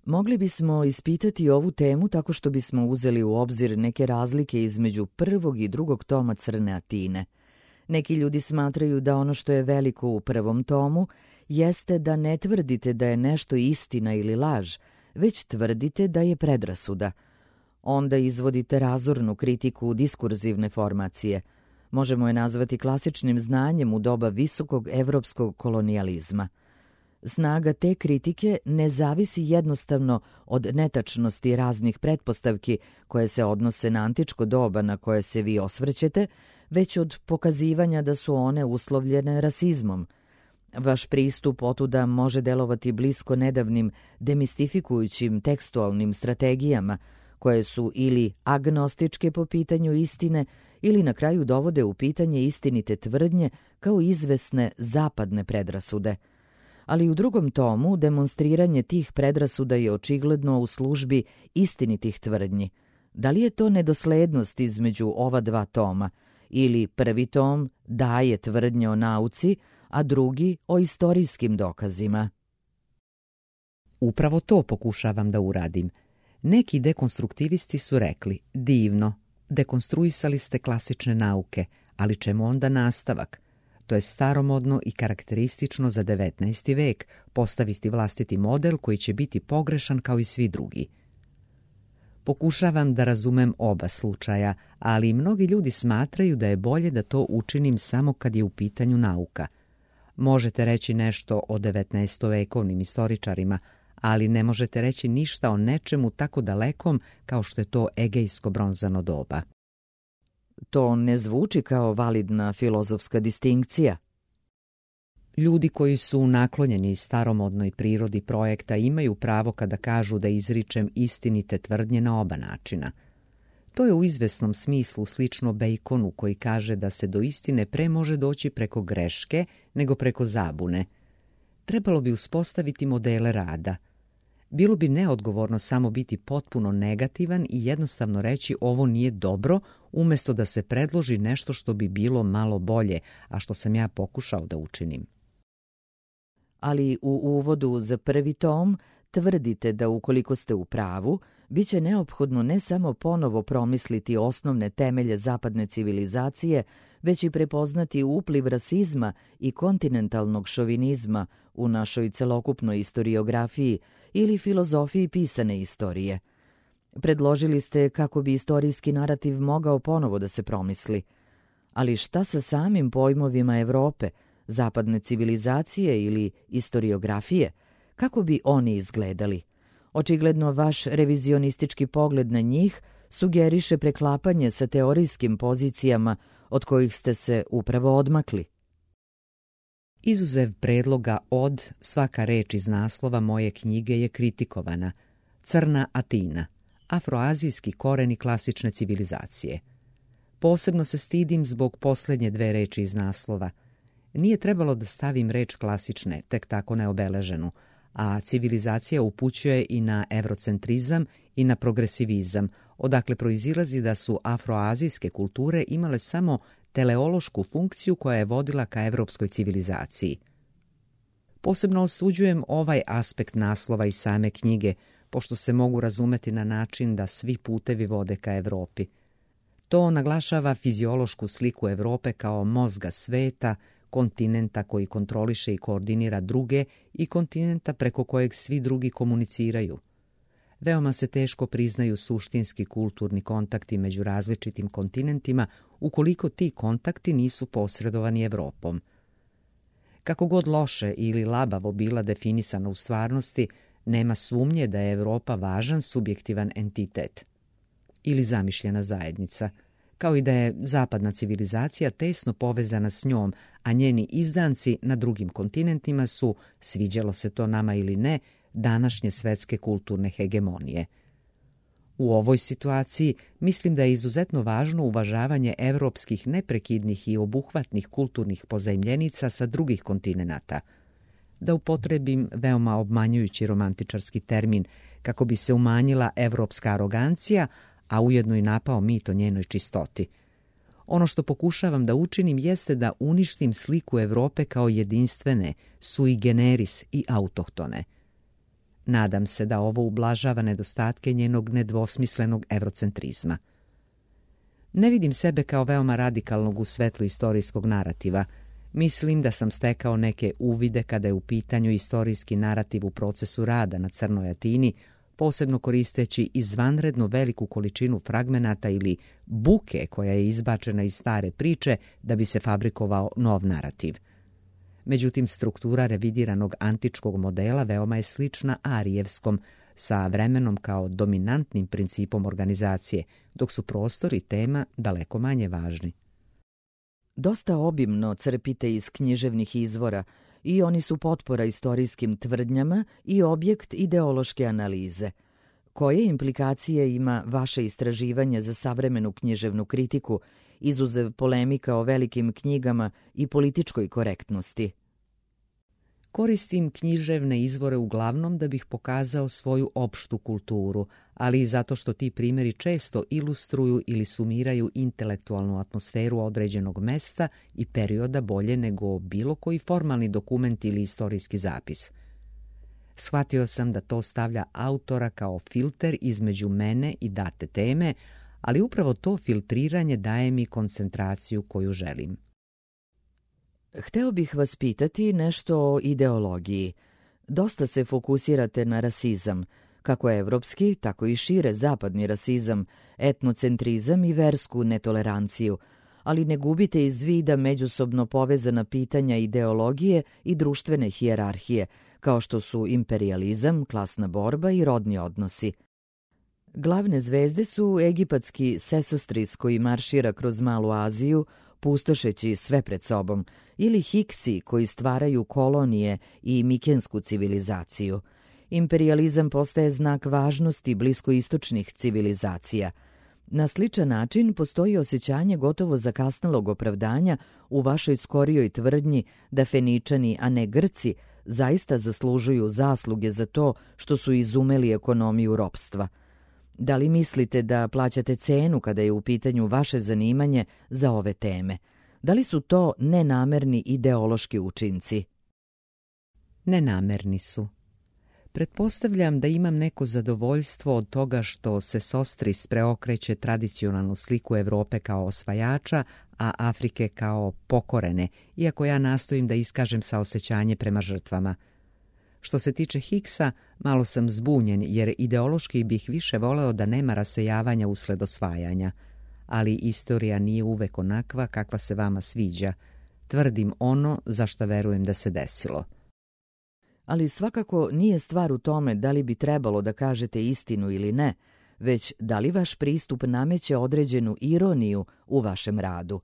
Mogli bismo ispitati ovu temu tako što bismo uzeli u obzir neke razlike između prvog i drugog toma Crne Atine. Neki ljudi smatraju da ono što je veliko u prvom tomu jeste da ne tvrdite da je nešto istina ili laž, već tvrdite da je predrasuda. Onda izvodite razornu kritiku diskurzivne formacije. Možemo je nazvati klasičnim znanjem u doba visokog evropskog kolonijalizma. Snaga te kritike ne zavisi jednostavno od netačnosti raznih pretpostavki koje se odnose na antičko doba na koje se vi osvrćete, već od pokazivanja da su one uslovljene rasizmom. Vaš pristup otuda može delovati blisko nedavnim demistifikujućim tekstualnim strategijama, koje su ili agnostičke po pitanju istine ili na kraju dovode u pitanje istinite tvrdnje kao izvesne zapadne predrasude. Ali u drugom tomu demonstriranje tih predrasuda je očigledno u službi istinitih tvrdnji. Da li je to nedoslednost između ova dva toma ili prvi tom daje tvrdnje o nauci, a drugi o istorijskim dokazima? Upravo to pokušavam da uradim. Neki dekonstruktivisti su rekli, divno, dekonstruisali ste klasične nauke, ali čemu onda nastavak? To je staromodno i karakteristično za 19. vek, postaviti vlastiti model koji će biti pogrešan kao i svi drugi. Pokušavam da razumem oba slučaja, ali i mnogi ljudi smatraju da je bolje da to učinim samo kad je u pitanju nauka. Možete reći nešto o 19-vekovnim istoričarima, ali ne možete reći ništa o nečemu tako dalekom kao što je to egejsko bronzano doba. To ne zvuči kao validna filozofska distinkcija. Ljudi koji su naklonjeni staromodnoj prirodi projekta imaju pravo kada kažu da izričem istinite tvrdnje na oba načina. To je u izvesnom smislu slično Baconu koji kaže da se do istine pre može doći preko greške nego preko zabune. Trebalo bi uspostaviti modele rada. Bilo bi neodgovorno samo biti potpuno negativan i jednostavno reći ovo nije dobro, umjesto da se predloži nešto što bi bilo malo bolje, a što sam ja pokušao da učinim. Ali u uvodu za prvi tom tvrdite da ukoliko ste u pravu, bit će neophodno ne samo ponovo promisliti osnovne temelje zapadne civilizacije, već i prepoznati upliv rasizma i kontinentalnog šovinizma u našoj celokupnoj istoriografiji ili filozofiji pisane istorije. Predložili ste kako bi istorijski narativ mogao ponovo da se promisli. Ali šta sa samim pojmovima Evrope, zapadne civilizacije ili istoriografije? Kako bi oni izgledali? Očigledno vaš revizionistički pogled na njih sugeriše preklapanje sa teorijskim pozicijama od kojih ste se upravo odmakli. Izuzev predloga od, svaka reč iz naslova moje knjige je kritikovana. Crna Atina, afroazijski koreni klasične civilizacije. Posebno se stidim zbog posljednje dve reči iz naslova. Nije trebalo da stavim reč klasične, tek tako neobeleženu, a civilizacija upućuje i na evrocentrizam i na progresivizam, odakle proizilazi da su afroazijske kulture imale samo teleološku funkciju koja je vodila ka evropskoj civilizaciji. Posebno osuđujem ovaj aspekt naslova i same knjige, pošto se mogu razumeti na način da svi putevi vode ka Evropi. To naglašava fiziološku sliku Evrope kao mozga sveta, kontinenta koji kontroliše i koordinira druge i kontinenta preko kojeg svi drugi komuniciraju. Veoma se teško priznaju suštinski kulturni kontakti među različitim kontinentima ukoliko ti kontakti nisu posredovani Evropom. Kako god loše ili labavo bila definisana u stvarnosti, nema sumnje da je Evropa važan subjektivan entitet ili zamišljena zajednica, kao i da je zapadna civilizacija tesno povezana s njom, a njeni izdanci na drugim kontinentima su, sviđalo se to nama ili ne, današnje svetske kulturne hegemonije. U ovoj situaciji mislim da je izuzetno važno uvažavanje evropskih neprekidnih i obuhvatnih kulturnih pozajmljenica sa drugih kontinenata. Da upotrebim veoma obmanjujući romantičarski termin kako bi se umanjila evropska arogancija, a ujedno i napao mit o njenoj čistoti. Ono što pokušavam da učinim jeste da uništim sliku Evrope kao jedinstvene, sui generis i autohtone. Nadam se da ovo ublažava nedostatke njenog nedvosmislenog evrocentrizma. Ne vidim sebe kao veoma radikalnog u svetlu istorijskog narativa. Mislim da sam stekao neke uvide kada je u pitanju istorijski narativ u procesu rada na Crnoj Atini, posebno koristeći izvanredno veliku količinu fragmenata ili buke koja je izbačena iz stare priče da bi se fabrikovao nov narativ. Međutim, struktura revidiranog antičkog modela veoma je slična arijevskom, sa vremenom kao dominantnim principom organizacije, dok su prostor i tema daleko manje važni. Dosta obimno crpite iz književnih izvora i oni su potpora istorijskim tvrdnjama i objekt ideološke analize. Koje implikacije ima vaše istraživanje za savremenu književnu kritiku, izuzev polemika o velikim knjigama i političkoj korektnosti? Koristim književne izvore uglavnom da bih pokazao svoju opštu kulturu, ali i zato što ti primjeri često ilustruju ili sumiraju intelektualnu atmosferu određenog mesta i perioda bolje nego bilo koji formalni dokument ili istorijski zapis. Shvatio sam da to stavlja autora kao filter između mene i date teme, ali upravo to filtriranje daje mi koncentraciju koju želim. Hteo bih vas pitati nešto o ideologiji. Dosta se fokusirate na rasizam, kako evropski, tako i šire zapadni rasizam, etnocentrizam i versku netoleranciju, ali ne gubite iz vida međusobno povezana pitanja ideologije i društvene hijerarhije, kao što su imperijalizam, klasna borba i rodni odnosi. Glavne zvezde su egipatski Sesostris koji maršira kroz Malu Aziju, pustošeći sve pred sobom, ili Hiksi koji stvaraju kolonije i mikensku civilizaciju. Imperijalizam postaje znak važnosti bliskoistočnih civilizacija. Na sličan način postoji osjećanje gotovo zakasnelog opravdanja u vašoj skorijoj tvrdnji da Feničani, a ne Grci, zaista zaslužuju zasluge za to što su izumeli ekonomiju ropstva? Da li mislite da plaćate cenu kada je u pitanju vaše zanimanje za ove teme? Da li su to nenamerni ideološki učinci? Nenamerni su. Pretpostavljam da imam neko zadovoljstvo od toga što se Sostris preokreće tradicionalnu sliku Evrope kao osvajača, a Afrike kao pokorene, iako ja nastojim da iskažem saosećanje prema žrtvama. Što se tiče Hicksa, malo sam zbunjen jer ideološki bih više voleo da nema rasejavanja usled osvajanja. Ali istorija nije uvek onakva kakva se vama sviđa. Tvrdim ono za što verujem da se desilo. Ali svakako nije stvar u tome da li bi trebalo da kažete istinu ili ne, već da li vaš pristup nameće određenu ironiju u vašem radu.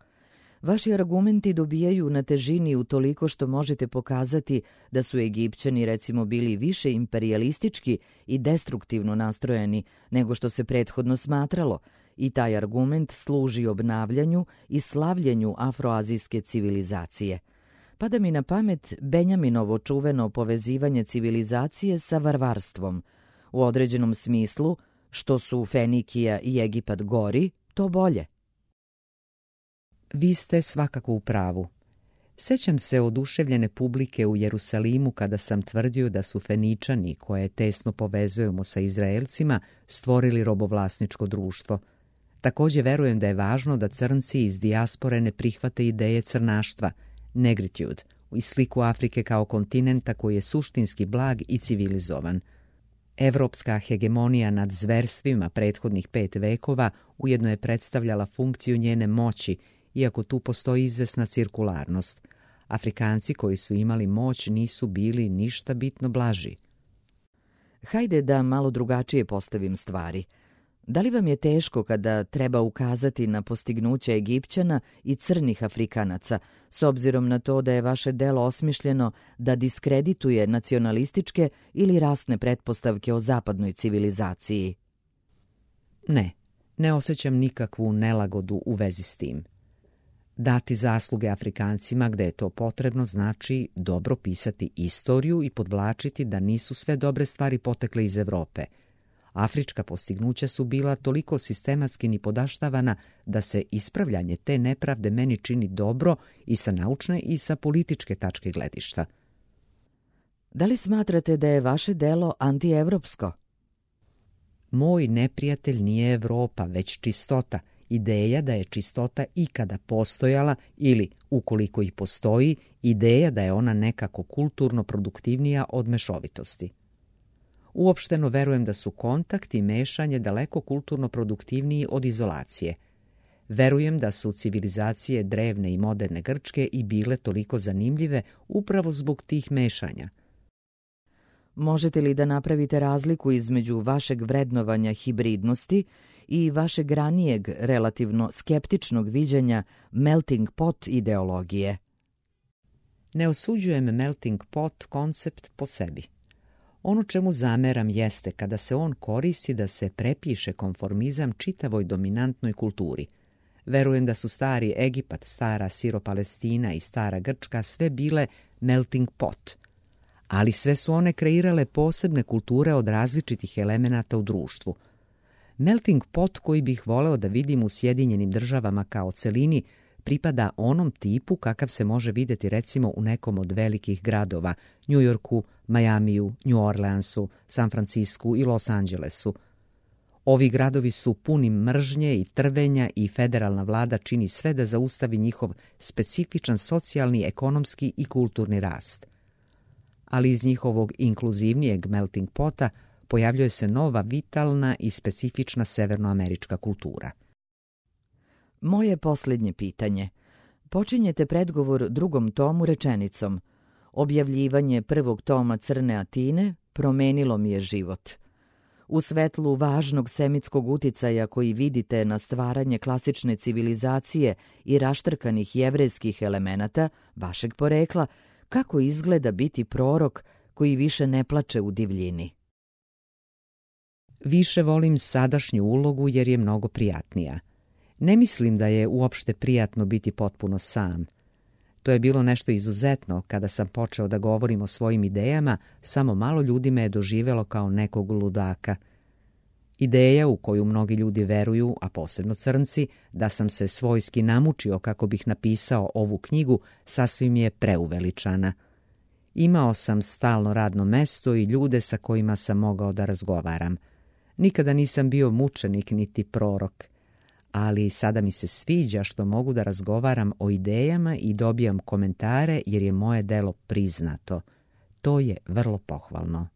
Vaši argumenti dobijaju na težini utoliko što možete pokazati da su Egipćani recimo bili više imperijalistički i destruktivno nastrojeni nego što se prethodno smatralo, i taj argument služi obnavljanju i slavljenju afroazijske civilizacije. Pada mi na pamet Benjaminovo čuveno povezivanje civilizacije sa varvarstvom. U određenom smislu, što su Fenikija i Egipat gori, to bolje. Vi ste svakako u pravu. Sećam se oduševljene publike u Jerusalimu kada sam tvrdio da su Feničani, koje tesno povezujemo sa Izraelcima, stvorili robovlasničko društvo. Također verujem da je važno da crnci iz dijaspore ne prihvate ideje crnaštva, negritude, i sliku Afrike kao kontinenta koji je suštinski blag i civilizovan. Evropska hegemonija nad zverstvima prethodnih 5 vekova ujedno je predstavljala funkciju njene moći, iako tu postoji izvesna cirkularnost. Afrikanci koji su imali moć nisu bili ništa bitno blaži. Hajde da malo drugačije postavim stvari. Da li vam je teško kada treba ukazati na postignuće Egipćana i crnih Afrikanaca, s obzirom na to da je vaše delo osmišljeno da diskredituje nacionalističke ili rasne pretpostavke o zapadnoj civilizaciji? Ne osjećam nikakvu nelagodu u vezi s tim. Dati zasluge Afrikancima gde je to potrebno znači dobro pisati istoriju i podvlačiti da nisu sve dobre stvari potekle iz Evrope. Afrička postignuća su bila toliko sistematski nipodaštavana da se ispravljanje te nepravde meni čini dobro i sa naučne i sa političke tačke gledišta. Da li smatrate da je vaše delo antievropsko? Moj neprijatelj nije Evropa, već čistota. Ideja da je čistota ikada postojala ili, ukoliko i postoji, ideja da je ona nekako kulturno produktivnija od mešovitosti. Uopšteno verujem da su kontakt i mešanje daleko kulturno produktivniji od izolacije. Verujem da su civilizacije drevne i moderne Grčke i bile toliko zanimljive upravo zbog tih mešanja. Možete li da napravite razliku između vašeg vrednovanja hibridnosti i vašeg ranijeg, relativno skeptičnog viđanja melting pot ideologije? Ne osuđujem melting pot koncept po sebi. Ono čemu zameram jeste kada se on koristi da se prepiše konformizam čitavoj dominantnoj kulturi. Verujem da su stari Egipat, stara Siro-Palestina i stara Grčka sve bile melting pot, ali sve su one kreirale posebne kulture od različitih elemenata u društvu. Melting pot koji bih voleo da vidim u Sjedinjenim Državama kao celini pripada onom tipu kakav se može vidjeti recimo u nekom od velikih gradova, New Yorku, Majamiju, New Orleansu, San Francisku i Los Angelesu. Ovi gradovi su puni mržnje i trvenja i federalna vlada čini sve da zaustavi njihov specifičan socijalni, ekonomski i kulturni rast. Ali iz njihovog inkluzivnijeg melting pota pojavljuje se nova, vitalna i specifična severnoamerička kultura. Moje posljednje pitanje. Počinjete predgovor drugom tomu rečenicom: objavljivanje prvog toma Crne Atine promenilo mi je život. U svetlu važnog semitskog uticaja koji vidite na stvaranje klasične civilizacije i raštrkanih jevrejskih elemenata vašeg porekla, kako izgleda biti prorok koji više ne plače u divljini? Više volim sadašnju ulogu jer je mnogo prijatnija. Ne mislim da je uopšte prijatno biti potpuno sam. To je bilo nešto izuzetno. Kada sam počeo da govorim o svojim idejama, samo malo ljudi me je doživjelo kao nekog ludaka. Ideja u koju mnogi ljudi veruju, a posebno crnci, da sam se svojski namučio kako bih napisao ovu knjigu, sasvim je preuveličana. Imao sam stalno radno mesto i ljude sa kojima sam mogao da razgovaram. Nikada nisam bio mučenik niti prorok, ali sada mi se sviđa što mogu da razgovaram o idejama i dobijam komentare jer je moje delo priznato. To je vrlo pohvalno.